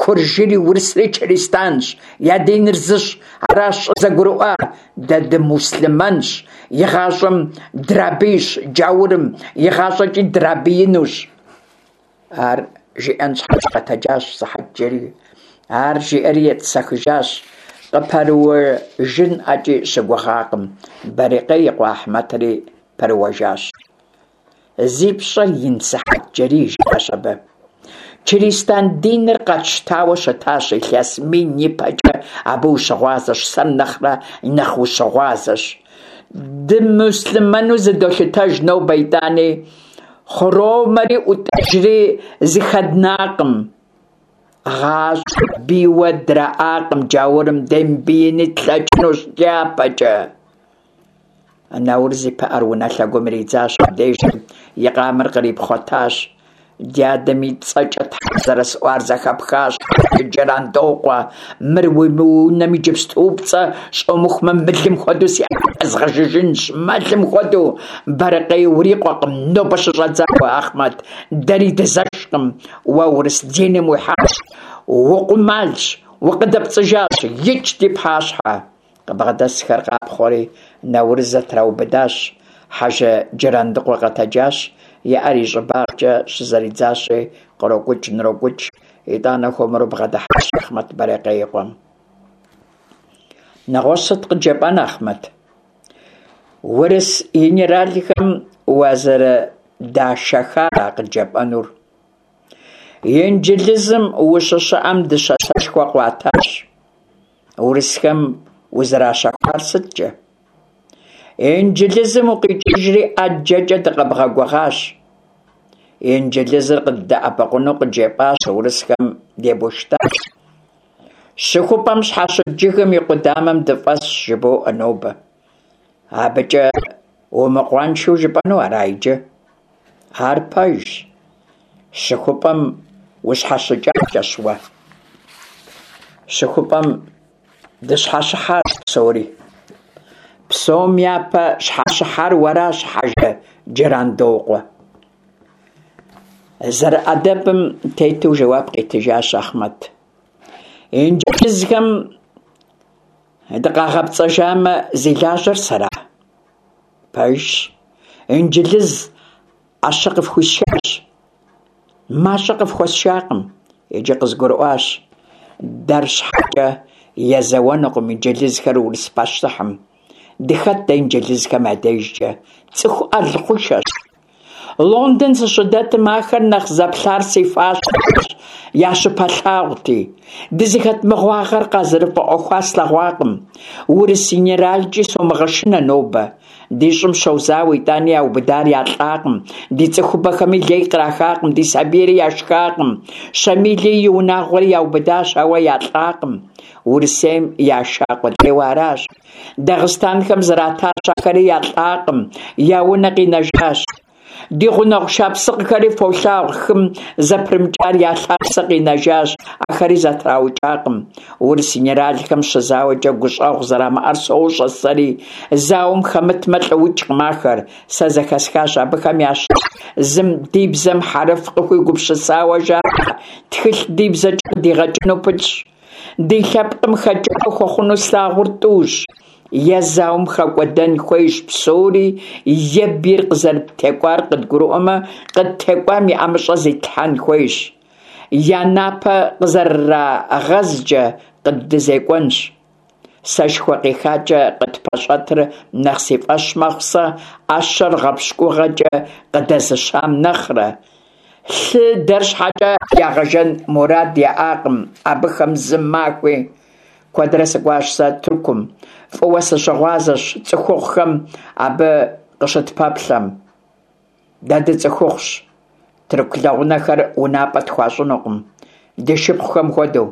S1: Куржыри урысри чыристанщ, я диныр зыщ, аращ щӏызэгурыӏуар. Дэ дымуслъымэнщ, игъащӏэм драбийщ джаурым, игъащӏэкӏи драбиинущ. Ар жиӏэн щхьэкӏэ къэтэджащ Сыхьэтджэрий. Ар жиӏэри етӏысэхыжащ, къыпэрыуэжын ӏэкӏи щыгугъакъым. Бэрикъей и къуэ Ахьмэтри пэрыуэжащ. Зи пщӏэр ин Сыхьэтджэрий, жиӏащ абы. Чыристан диныр къэтщтауэ щытащ илъэс мин ипэкӏэ, абы ущыгъуазэщ, сэр нэхърэ нэхъ ущыгъуазэщ. Дымуслъымэну зыдолъытэж нобэ итӏани, хъуромэри ӏутӏыжри зыхэднакъым. Гъащӏэ бийуэ драӏакъым джаурым, демыбиини тлъэкӏынущ дяпэкӏэ. Наурыз и пыӏэр унэ лъэгум иридзащ абдежым, и къамэр кърипхъуэтащ. Ди адэм и цӏэкӏэ тхьэ зэрысӏуар зэхэпхащ, Джырандокъуэ, мыр уи унэм иджыпступцӏэ щӏомыхумэ, мылым хуэдэу си ӏэпэр згъэжыжынщ, мэлым хуэдэу. Бэрыкъей урикъуэкъым нобэ щыщӏэдзауэ, Ахъмэт, дэри дызэшкъым. Уэ урыс диным уихьащ, укъумалщ, укъыдэпцӏыжащ, икӏ ди пащхьэ. Къыбгъэдэсхэр къапхъуэри, Наурыз зэтраубыдащ. Хьэжы Джырандыкъуэ къэтэджащ, и ӏэр и щӏыбагъкӏэ щызэридзащи, кърокӏукӏ-нрокӏукӏ. Итӏанэ хуэмурэ бгъэдыхьащ Ахъмэт Бэрикъей и къуэм. Нэгъуэщӏ сыт къыджепӏэн, Ахъмэт? Урыс генералхэм уазэрыдашэхара къыджепӏэнур? Инджылызым ущыщыӏэм дыщэ сэшхуэ къуатащ. Урысхэм узэращэхуар сыткӏэ? Инджылызым укъикӏыжри ӏэджэкӏэ дыкъэбгъэгугъащ. Инджылызыр къыддэӏэпыкъуну къыджепӏащ, урысхэм дебуштащ. Щыхупӏэм щхьэщыт жыгым и къудамэм дыфӏэсщ, жыбоӏэ нобэ. Абыкӏэ умыкъуаншэу жыпӏэну ара иджы? Ар пэжщ. Щыхупӏэм ущхьэщыкӏакӏэщ уэ. Щыхупӏэм дыщхьэщыхьащ псори. Псом япэ щхьэщыхьар уэращ, Хьэжы Джырандокъуэ. Зэрыӏэдэбым тету жэуап къитыжащ Ахъмэт. Инджылызхэм дыкъагъэпцӏэжамэ, зи лажьэр сэра? Пэжщ, инджылыз ӏэщэ къыфхуисшащ. Мащӏэ къыфхуэсшакъым. Иджы къызгурыӏуащ, дэр щхьэкӏэ езэуэнукъым инджылызхэр урыс пащтыхьым. Дыхэт дэ инджылызхэм я дежкӏэ? Цӏыху ӏэл хъушэщ. Лондон сыщыдэтым ахэр нэхъ зэплъар си фащэращ, я щыпэлъагъути. Дызыхэт мыгъуагъэр къазэрыфӏэӏуэхуа слъэгъуакъым. Урыс генералкӏи сомыгъэшынэ нобэ. Ди щӏым щозауэ, итӏани яубыдар ялӏакъым, ди цӏыхубэхэми лей кърахакъым, ди сабийри яшхакъым. Щамили и унагъуэри яубыдащ, ауэ ялӏакъым. Урысейм яша къудейуэ аращ. Дагъыстанхэм зратащ, ахэри ялӏакъым, я унэ къинэжащ. Ди гъунэгъу шапсыгъхэри фолъагъу, хым зэпрымыкӏар я лъапсэ къинэжащ, ахэри зэтраукӏакъым. Урыс генералхэм щызауэкӏэ гущӏэгъу зэрамыӏэр сощӏэ сэри, зауэм хэмытмэ, лӏыукӏкъым ахэр. Сэ зэхэсхащ абыхэм ящыщ зым ди бзэм хьэрыф къыхуигупсысауэ жаӏэ, тхылъ ди бзэкӏэ къыдигъэкӏыну пылъщ. Ди лъэпкъым хэкӏыпӏэ хуэхъуну слъагъур тӏущ. Е зауэм хэкӏуэдэн хуейщ псори, е бийр къызэрыттекӏуар къыдгурыӏуэмэ, къыттекӏуам и ӏэмыщӏэ зитлъхьэн хуейщ. Я напэ къызэрырагъэзкӏэ къыддызекӏуэнщ. Сэшхуэ къихакӏэ къытпэщӏэтыр нэхъ си фӏэщ мэхъу сэ ӏэщэр гъэпщкӏугъэкӏэ къыдэзыщам нэхърэ. Лъы дэр щхьэкӏэ ягъэжэн мурад яӏакъым абыхэм зы махуи. Куэдрэ сыкӏуащ сэ Тыркум, фӏыуэ сыщыгъуазэщ цӏыхухъухэм абы къыщытпэплъэм. Дэ дыцӏыхухъущ, тырку лэгъунэхэр унапӏэ тхуащӏынукъым, ди шыпхъухэм хуэдэу.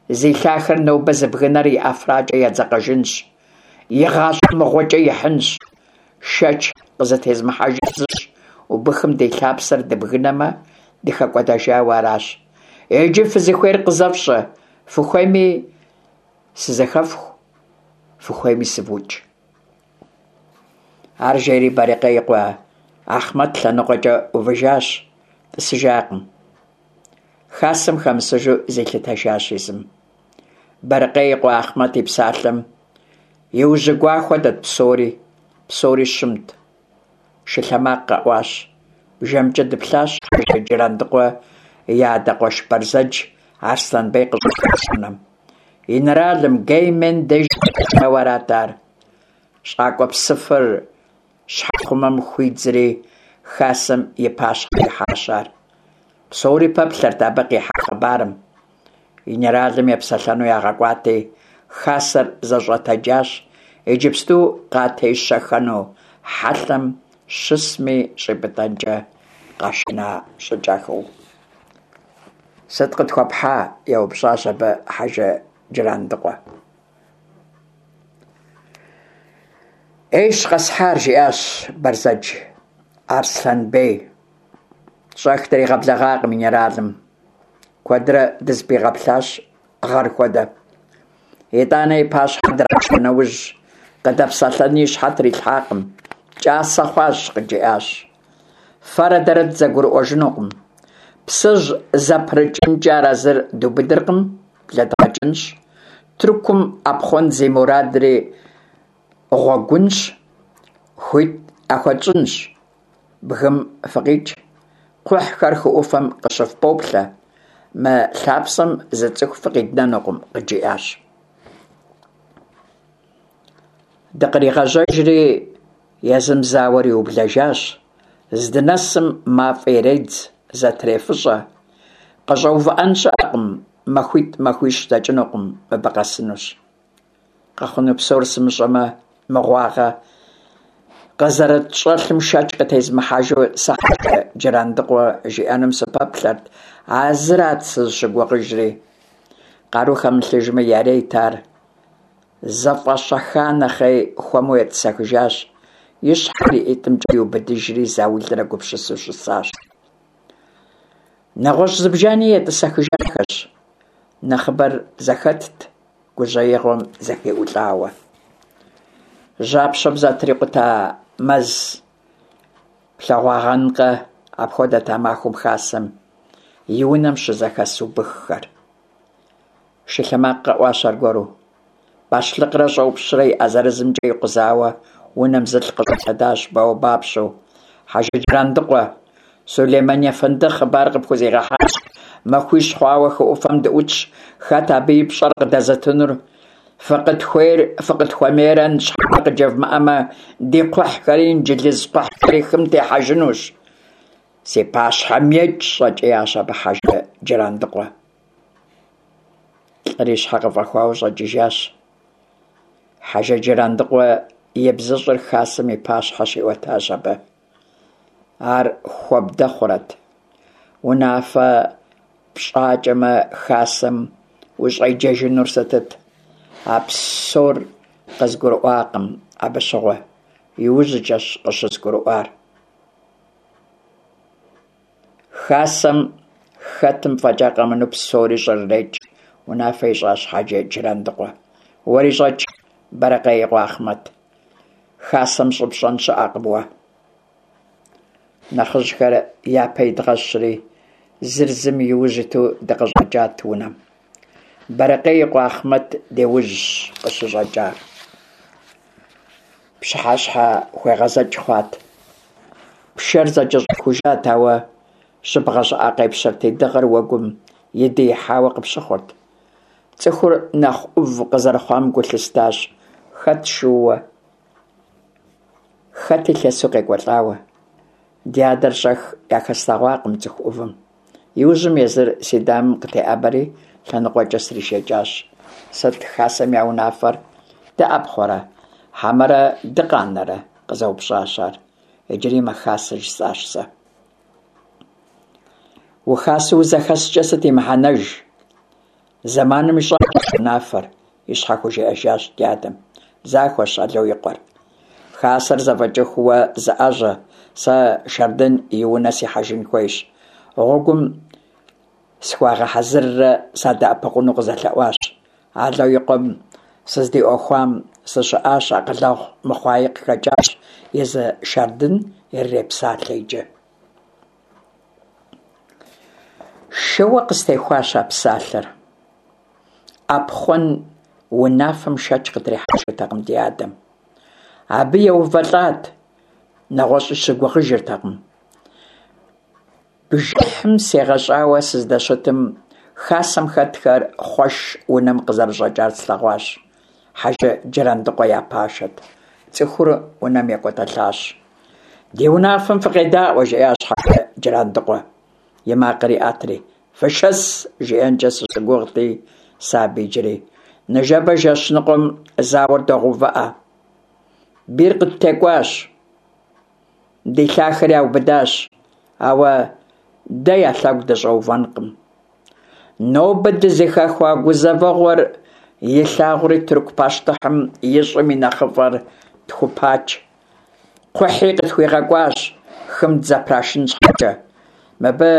S1: Зи лъахэр нобэ зыбгынэр и ӏэфракӏэ едзэкъэжынщ, и гъащӏэ мыгъуэкӏэ ихьынщ. Шэч къызытезмыхьэжыр зыщ, убыхым ди лъапсэр дыбгынэмэ, дыхэкӏуэдэжауэ аращ. Иджы фызыхуейр къызэфщӏэ. Фыхуейми сызэхэфху, фыхуейми сывукӏ. Ар жери Барэкъей и къуэ Ахъмэт лъэныкъуэкӏэ ӏувыжащ, тӏысыжакъым. Хасэм хэмысыжу зилъытэжащ езым. Барэкъей и къуэ Ахъмэт и псалъэм иужьыгуа хуэдэт псори, псори щымт. Шы лъэмакъ къэӏуащ. Бжэмкӏэ дыплъащ Хьэжы Джырандыкъуэ и адэ къуэш Бэрзэдж Аслъэнбей къыщӏыхьащ унэм. Инэралым Геймен деж кӏуауэ арат ар. Щӏакӏуэ псыфыр щхьэхъумэм хуидзри, хасэм и пащхьэ ихьащ ар. Псори пэплъэрт абы къихьа хъыбарым. Инэралым епсэлъэну ягъэкӏуати, хасэр зэщӏэтэджащ, иджыпсту къатещэхэну хьэлъэм щысми щӏипӏытӏэнкӏэ къэшына щӏыкӏэхэу. Сыт къытхуэпхьа? еупщӏащ абы Хьэжы Джырандыкъуэ. Ӏейщ къэсхьар, жиӏащ Бэрзэдж Арслъэнбей. Щӏэх дригъэблэгъакъым инэралым. Куэдрэ дызыпигъэплъащ гъэр хуэдэ. Итӏанэ и пащхьэ драшэ нэужь, къыдэпсэлъэни и щхьэ трилъхьакъым. Кӏасэ хъуащ, къыджиӏащ. Фэрэ дэрэ дызэгурыӏуэжынукъым. Псыжь зэпрыкӏынкӏэ арэзыр дубыдыркъым, блэдгъэкӏынщ. Тыркум ӏэпхъуэн зи мурадри гъуэгунщ, хуит яхуэтщӏынщ. Бгым фыкъикӏ, кхъухьхэр хы ӏуфэм къыщыфпоплъэ, мы лъапсэм зы цӏыху фыкъиднэнукъым, къыджиӏащ. Дыкъригъэжьэжри, езым зауэр иублэжащ, здынэсым мафӏэ иредз, зэтрефыщӏэ. Къыщӏэувыӏэн щыӏэкъым, махуитӏ-махуищ дэкӏынукъым, мыбы къэсынущ. Къэхъуну псор сымыщӏэмэ, мыгъуагъэ къызэрытщӏэлъым шэч къытезмыхьэжу сэ Хьэжы Джырандыкъуэ жиӏэнум сыпэплъэрт, а зырат сызыщыгугъыжри. Къару хэмылъыжми ярейт ар. Зэфӏэщэха нэхъей хуэму етӏысэхыжащ, и щхьэр и ӏитӏымкӏэ иубыдыжри заулрэ гупсысэу щысащ. Нэгъуэщӏ зыбжани етӏысэхыжахэщ, нэхъыбэр зэхэтт, гужьеигъуэм зэхиӏулӏауэ. Жьапщэм зэтрикъута мэз плъэгъуагъэнкъэ апхуэдэт а махуэм хасэм и унэм щызэхэс убыххэр. Шы лъэмакъ къэӏуащ аргуэру. Бащлъыкърэ щӏопщрэ и ӏэ зырызымкӏэ икъузауэ унэм зылӏ къыщӏэлъэдащ бауэбапщэу. Хьэжы Джырандыкъуэ, Сулеймэн ефэнды хъыбар къыпхузигъэхьащ. Махуищ хъуауэ хы ӏуфэм дыӏутщ, хэт абы и пщӏэр къыдэзытынур? Фыкъытхуейр фыкъытхуэмейрэ ныщхьэбэ къыджевмыӏэмэ, ди кхъухьхэри инджылыз кхъухьхэри хым техьэжынущ. Си пащхьэм икӏ, щӏэкӏиящ абы Хьэжы Джырандыкъуэ. Лӏыр и щхьэ къыфӏэхуауэ щӏэкӏыжащ. Хьэжы Джырандыкъуэ ибзыщӏыр хасэм и пащхьэ щиӏуэтащ абы. Ар хуэбдэ хъурэт? Унафэ пщӏакӏэмэ, хасэм ущӏеджэжынур сытыт? А псор къызгурыӏуакъым абы щыгъуэ, иужькӏэщ къыщызгурыӏуар. Хасэм хэтым фӏэкӏа къэмынэу псори щӏрырекӏ, унафэ ищӏащ Хьэжы Джырандыкъуэ. Уэри щӏэкӏ, Бэрэкъей и къуэ Ахъмэт. Хасэм щӏыпщӏэн щыӏэкъым уэ. Нэхъыжьхэр япэ идгъэщри, зыр зым и ужь иту дыкъыщӏэкӏат унэм. Бэрэкъей и къуэ Ахъмэт ди ужьщ къыщыщӏэкӏар. Пщыхьэщхьэ хуегъэзэкӏ хъуат. Пшэр зэкӏэщӏихужат, ауэ жьыбгъэ щӏыӏэ къепщэрти, дыгъэр уэгум идиихьауэ къыпщыхъурт. Цӏыхур нэхъ ӏув къызэрыхъуам гу лъыстащ, хэт шууэ, хэти лъэсу къекӏуэлӏауэ. Ди адэр щӏэх яхэслъэгъуакъым цӏыху ӏувым. Иужьым езыр си дамэм къытеӏэбэри, лъэныкъуэкӏэ сришэкӏащ. Сыт хасэм я унафэр? Дыӏэпхъуэрэ, хьэмэрэ дыкъанэрэ? къызэупщӏащ ар. Иджыри мэхасэ, жысӏащ сэ. Ухасэу узэхэскӏэ сыт и мыхьэнэж? Зэманым ищӏэнщ унафэр, и щхьэ хужиӏэжащ ди адэм. Захуэщ Ало и къуэр. Хасэр зэфӏэкӏыху уэ зыӏэжьэ, сэ Шардын и унэ сихьэжын хуейщ. Гъуэгум. схуагъэхьэзыррэ садэӏэпыкъуну къызэлъэӏуащ. Ало и къуэм сыздиӏуэхуам сыщыӏащ, акъылэгъу мыхъуаи къыхэкӏащ, езы Шардын ирырепсалъэ иджы. Шэуэ къыстехуащ а псалъэр. Ӏэпхъуэн унафэм шэч къытрихьэжыртэкъым ди адэм. Абы еувэлӏат, нэгъуэщӏи щыгугъыжыртэкъым. Бжыхьым сегъэщӏауэ сыздэщытым, хасэм хэтхэр Хъуэш унэм къызэрыщӏэкӏар слъэгъуащ. Хьэжы Джырандыкъуэ я пашэт. Цӏыхур унэм екӏуэтӏэлащ. Ди унафэм фыкъедаӏуэ, жиӏащ Хьэжы Джырандыкъуэ, и макъыр иӏэтри. Фышэс, жиӏэнкӏэ сыщыгугъти сэ абы иджыри. Ныжэбэ жэщ ныкъуэм зауэр догъэувыӏэ. Бийр къыттекӏуащ. Ди лъахэр яубыдащ, ауэ дэ я лъэгу дыщӏэувэнкъым. Нобэ дызыхэхуа гузэвэгъуэр илъагъури тырку пащтыхьым и щӏым и нэхъыфӏыр тхупач. Кхъухьи къытхуигъэкӏуащ хым дызэпрашын щхьэкӏэ. Мыбы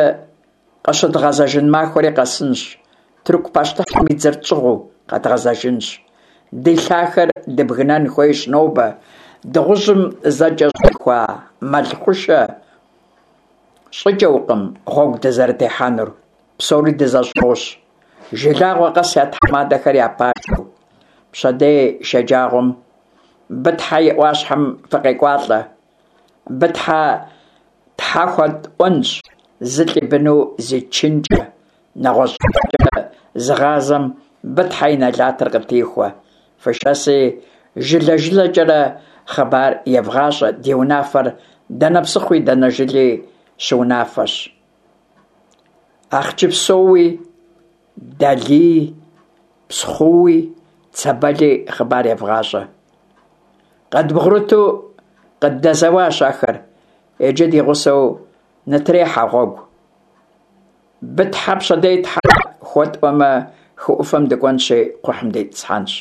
S1: къыщыдгъэзэжын махуэри къэсынщ, тырку пащтыхьым и дзэр тщӏыгъуу къэдгъэзэжынщ. Ди лъахэр дыбгынэн хуейщ нобэ, дыгъужьым зэкӏэщӏихуа мэл хъушэ щӏыкӏэукъым гъуэгу дызэрытехьэнур, псори дызэщӏыгъущ, жылагъуэ къэс я тхьэмадэхэр я пашэу. Пщэдей шэджагъуэм Бытхьэ и ӏуащхьэм фыкъекӏуалӏэ. Бытхьэ тхьэ хуэтӏуэнщ, зылӏ и быну зичынкӏэ, нэгъуэщӏ щӏыпӏэкӏэ зыгъазэм Бытхьэ и нэлатыр къытихуэ. Фышэси, жылэ-жылэкӏэрэ хъыбар евгъащӏэ, ди унафэр дэнэ псыхъуи дэнэ жыли щыунафэщ. Ахъчыпсоуи, Далии, Псхъууи, Цэбэли хъыбар евгъащӏэ. Къыдбгъурыту къыддэзэуащ ахэр, иджы ди гъусэу нытрехьэ гъуэгу. Бытхьэ пщэдей тхьэ хуэтӏуэмэ, хы ӏуфэм дыкӏуэнщи, кхъухьым дитӏысхьэнщ.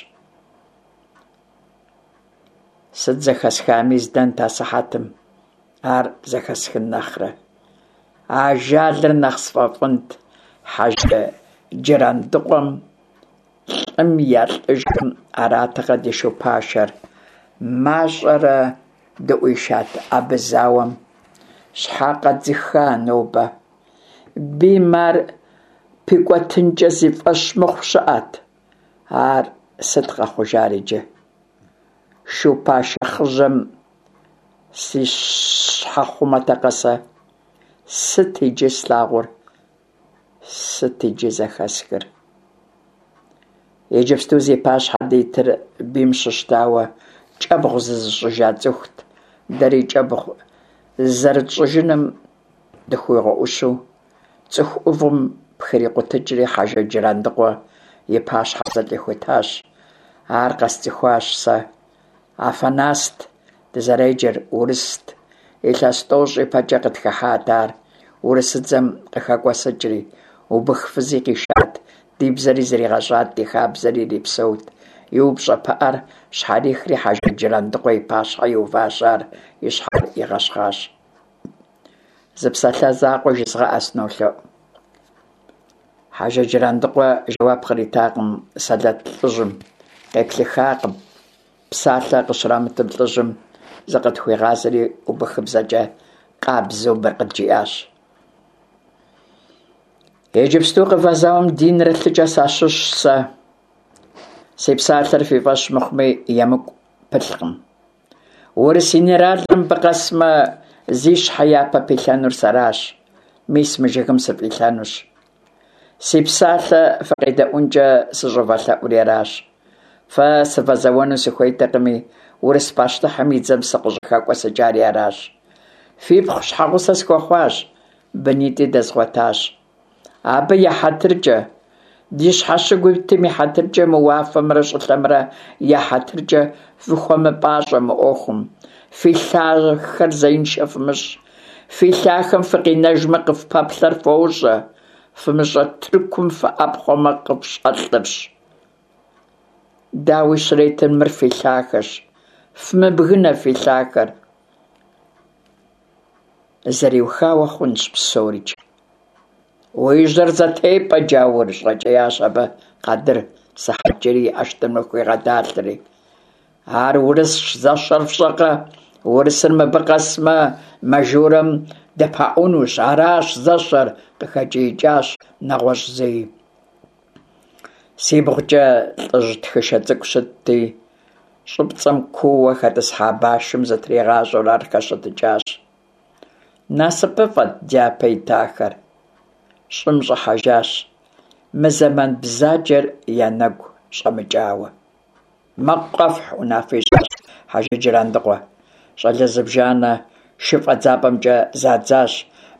S1: Сыт зэхэсхами здэнт асыхьэтым, ар зэхэсхын нэхърэ. Ажалыр нэхъ сфӏэфӏынт Хьэжы Джырандыкъуэм, лӏым я лӏыжым, аратэкъэ ди шу пашэр. Мащӏэрэ дыӏуишат абы зауэм. Щхьэ къэдзыха нобэ? Бийм ар пикӏуэтынкӏэ зи фӏэщ мыхъу щыӏэт. Ар сыт къэхъужар иджы? Шу пашэ хъыжьэм си щхьэхъумэтэкъэ сэ? Сыт иджы слъагъур? Сыт иджы зэхэсхыр? Иджыпсту зи пащхьэ дитыр бийм щыщтауэ кӏэбгъу зызыщӏыжа цӏыхут, дэри кӏэбгъу зызэрытщӏыжыным дыхуигъэӏущу, цӏыху ӏувым пхрикъутыкӏри Хьэжы Джырандыкъуэ и пащхьэ зылӏ къихутащ. Ар къэсцӏыхуащ сэ. Афанаст дызэреджэр, урыст. Илъэс тӏощӏ ипэкӏэ къытхыхьат ар, урысыдзэм къыхэкӏуэсыкӏри. Убых фызи къишат, ди бзэри зригъэщӏат, ди хабзэри ирипсэут. И упщӏэ пыӏэр щхьэрихри Хьэжы Джырандыкъуэ и пащхьэ иуващ ар, и щхьэр игъэщхъащ. Зы псалъэ закъуэ жызгъэӏэ, сынолъэӏу. Хьэжы Джырандыкъуэ жэуап къритакъым сэлэт лӏыжьым, къеплъыхакъым. Псалъэ къыщрамытым лӏыжьым зыкъытхуигъазэри убыхыбзэкӏэ къабзэу мыр къыджиӏащ. Иджыпсту къывэзауэм динрэ лъыкӏэ сащыщщ сэ. Си псалъэр фи фӏэщ мыхъуми, емыкӏу пылъкъым. Урыс инэралыр мыбы къэсмэ, зи щхьэ япэ пилъэнур сэращ. Мис мы жыгым сыфӏилъэнущ. Си псалъэ фыкъедэӏункӏэ сыщӏывэлъэӏури аращ. Фэ сывэзэуэну сыхуейтэкъыми, урыс пащтыхьым и дзэм сыкъыщӏыхэкӏуэсыкӏари аращ. Фипхъу щхьэгъусэ схуэхъуащ, бынитӏи дэзгъуэтащ. Абы я хьэтыркӏэ, ди щхьэщыгу итым и хьэтыркӏэ, мы уафэмрэ щӏылъэмрэ я хьэтыркӏэ фыхуэмыпӏащӏэ мы ӏуэхум. Фи лъахэр зеиншэ фымыщӏ. Фи лъахэм фыкъинэжмэ, къыфпэплъэр фощӏэ, фымыщӏэ Тыркум фыӏэпхъуэмэ, къыфщӏэлъырщ. Дауи щретыр, мыр фи лъахэщ. Фымыбгынэ фи лъахэр. Зэриухауэ хъунщ псорикӏ. Уи жьэр зэтепӏэ, джаур! – щӏэкӏиящ абы къадыр, Сыхьэтджэрий и ӏэштӏымыр хуигъэдалъэри. Ар урысщ, зэщэр фщӏэкъэ? Урысыр мыбы къэсмэ, мажурэм дыпаӏунущ, аращ зэщэр, – къыхэкӏиикӏащ нэгъуэщӏ зыи. Сибгъукӏэ лӏыжь тхышэ цӏыкӏу щытти, щӏыпцӏэм куууэ хэтӏысхьа башым зытригъащӏэурэ ар хэщэтыкӏащ. Насыпыфӏэт дяпэ итахэр, щӏым щӏыхьэжащ, мы зэман бзаджэр я нэгу щӏэмыкӏауэ. Мэкъу къэфхь, унафэ ищӏащ Хьэжы Джырандыкъуэ. Щӏалэ зыбжанэ шы фӏэдзапӏэмкӏэ задзащ.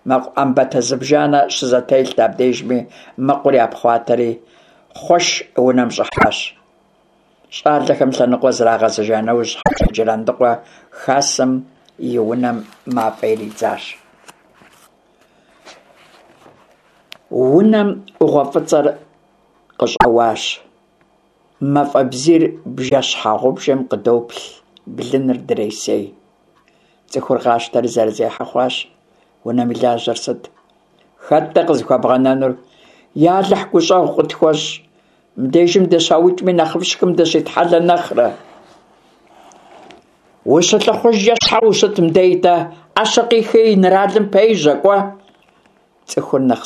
S1: Мэкъу ӏэмбатэ зыбжанэ щызэтелът абдежми, мэкъур япхъуатэри, Хъуэш унэм щӏыхьащ. Щӏалэхэм лъэныкъуэ зрагъэзыжа нэужь, Хьэжы Джырандыкъуэ хасэм и унэм мафӏэ иридзащ. Унэм ӏугъуэ фӏыцӏэр къыщӏэуащ. Мафӏэ бзийр бжэ-щхьэгъубжэм къыдоплъ, блыныр дресей. Цӏыхур къащтэри зэрызехьэ хъуащ. Унэм и лажьэр сыт? Хэт-тӏэ къызыхуэбгъэнэнур? Я Алыхь гущӏэгъу къытхуэщӏ, мыбдежым дыщаукӏми нэхъыфӏщ хым дыщитхьэлэ нэхърэ. Ущылӏыхъужькӏэ щхьэ ущыт мыбдей-тӏэ? Ӏэщэ къихи инэралым пежьэ, кӏуэ! Цӏыхур нэхъ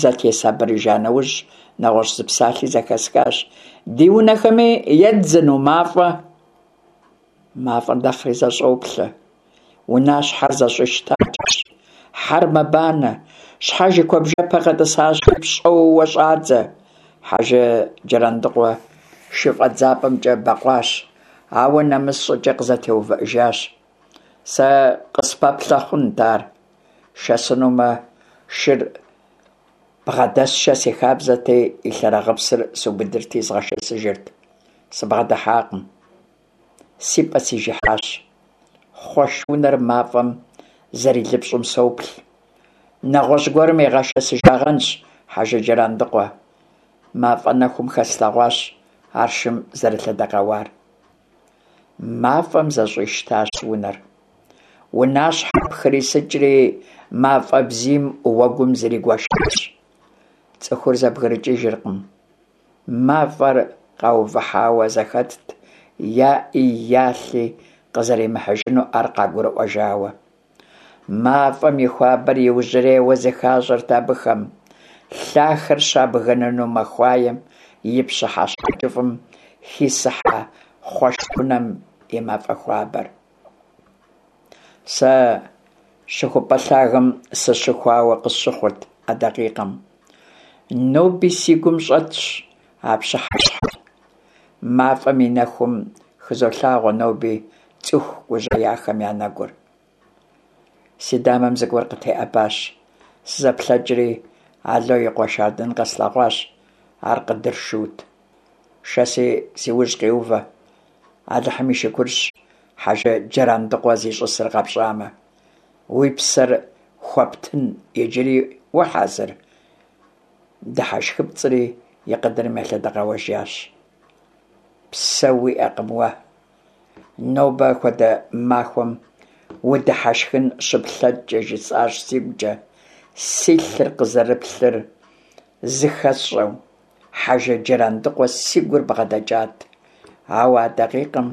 S1: зэтесабырыжа нэужь, нэгъуэщӏ зы псалъи зэхэсхащ. Ди унэхэми еддзыну мафӏэ? Мафӏэр нэхъри зэщӏоплъэ. Унащхьэр зэщӏищтакӏэщ. Хьэр мэбанэ. Щхьэж и куэбжэпэ къэтӏысащи, пщӏэууэ щӏадзэ. Хьэжы Джырандыкъуэ шы фӏэдзапӏэмкӏэ бэкъуащ, ауэ нэмыс щӏыкӏэ къызэтеувыӏэжащ. Сэ къыспэплъэ хъунт ар. Шэсынумэ, шыр бгъэдэсшэ си хабзэти, и лъэрыгъыпсыр субыдырти згъэшэсыжырт. Сыбгъэдыхьакъым. Си пӏэ сижыхьащ. Хъуэш унэр мафӏэм зэрилыпщӏым соплъ. Нэгъуэщӏ гуэрым игъэшэсыжагъэнщ Хьэжы Джырандыкъуэ. Мафӏэ нэхум хэслъэгъуащ ар шым зэрелъэдэкъэуар. Мафӏэм зэщӏищтащ унэр. Унащхьэр пхрисыкӏри, мафӏэ бзийм уэгум зригуэшащ. Цӏыхур зэбгрыкӏыжыркъым. Мафӏэр къаувыхьауэ зэхэтт, я ӏи я лъи къызэримыхьыжынур къагурыӏуэжауэ. Мафӏэм и хуабэр иужьрейуэ зыхащӏэрт абыхэм. Лъахэр щабгынэну махуаем и пщыхьэщхьэ кӏыфӏым хисыхьа Хъуэш унэм и мафӏэ хуабэр. Сэ щыхупӏэ лъагэм сыщыхуауэ къысщыхъурт а дакъикъэм. Ноби си гум щӏэтщ а пщыхьэщхьэр. Мафӏэм и нэхум хызолъагъуэ ноби цӏыху гужьеяхэм я нэгур. Си дамэм зыгуэр къытеӏэбащ. Сызэплъэкӏри, Ало и къуэ Шардын къэслъэгъуащ. Ар къыдыр шут. Шэси си ужь къиувэ. Алыхьым и шыкурщ Хьэжы Джырандыкъуэ зищӏысыр къэпщӏамэ. Уи псэр хуэптын иджыри ухьэзыр? Дыхьэшхыпцӏри и къыдырым елъэдэкъэуэжащ. Псэ уиӏэкъым уэ. Нобэ хуэдэ махуэм удыхьэшхын щыплъэкӏкӏэ, жысӏащ сигукӏэ, си лъыр къызэрыплъыр зыхэсщӏэу. Хьэжы Джырандыкъуэ си гур бгъэдэкӏат, ауэ а дакъикъэм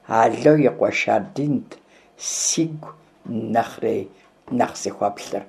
S1: Ало и къуэ Шардинт сигу нэхъри нэхъ зыхуэплъыр.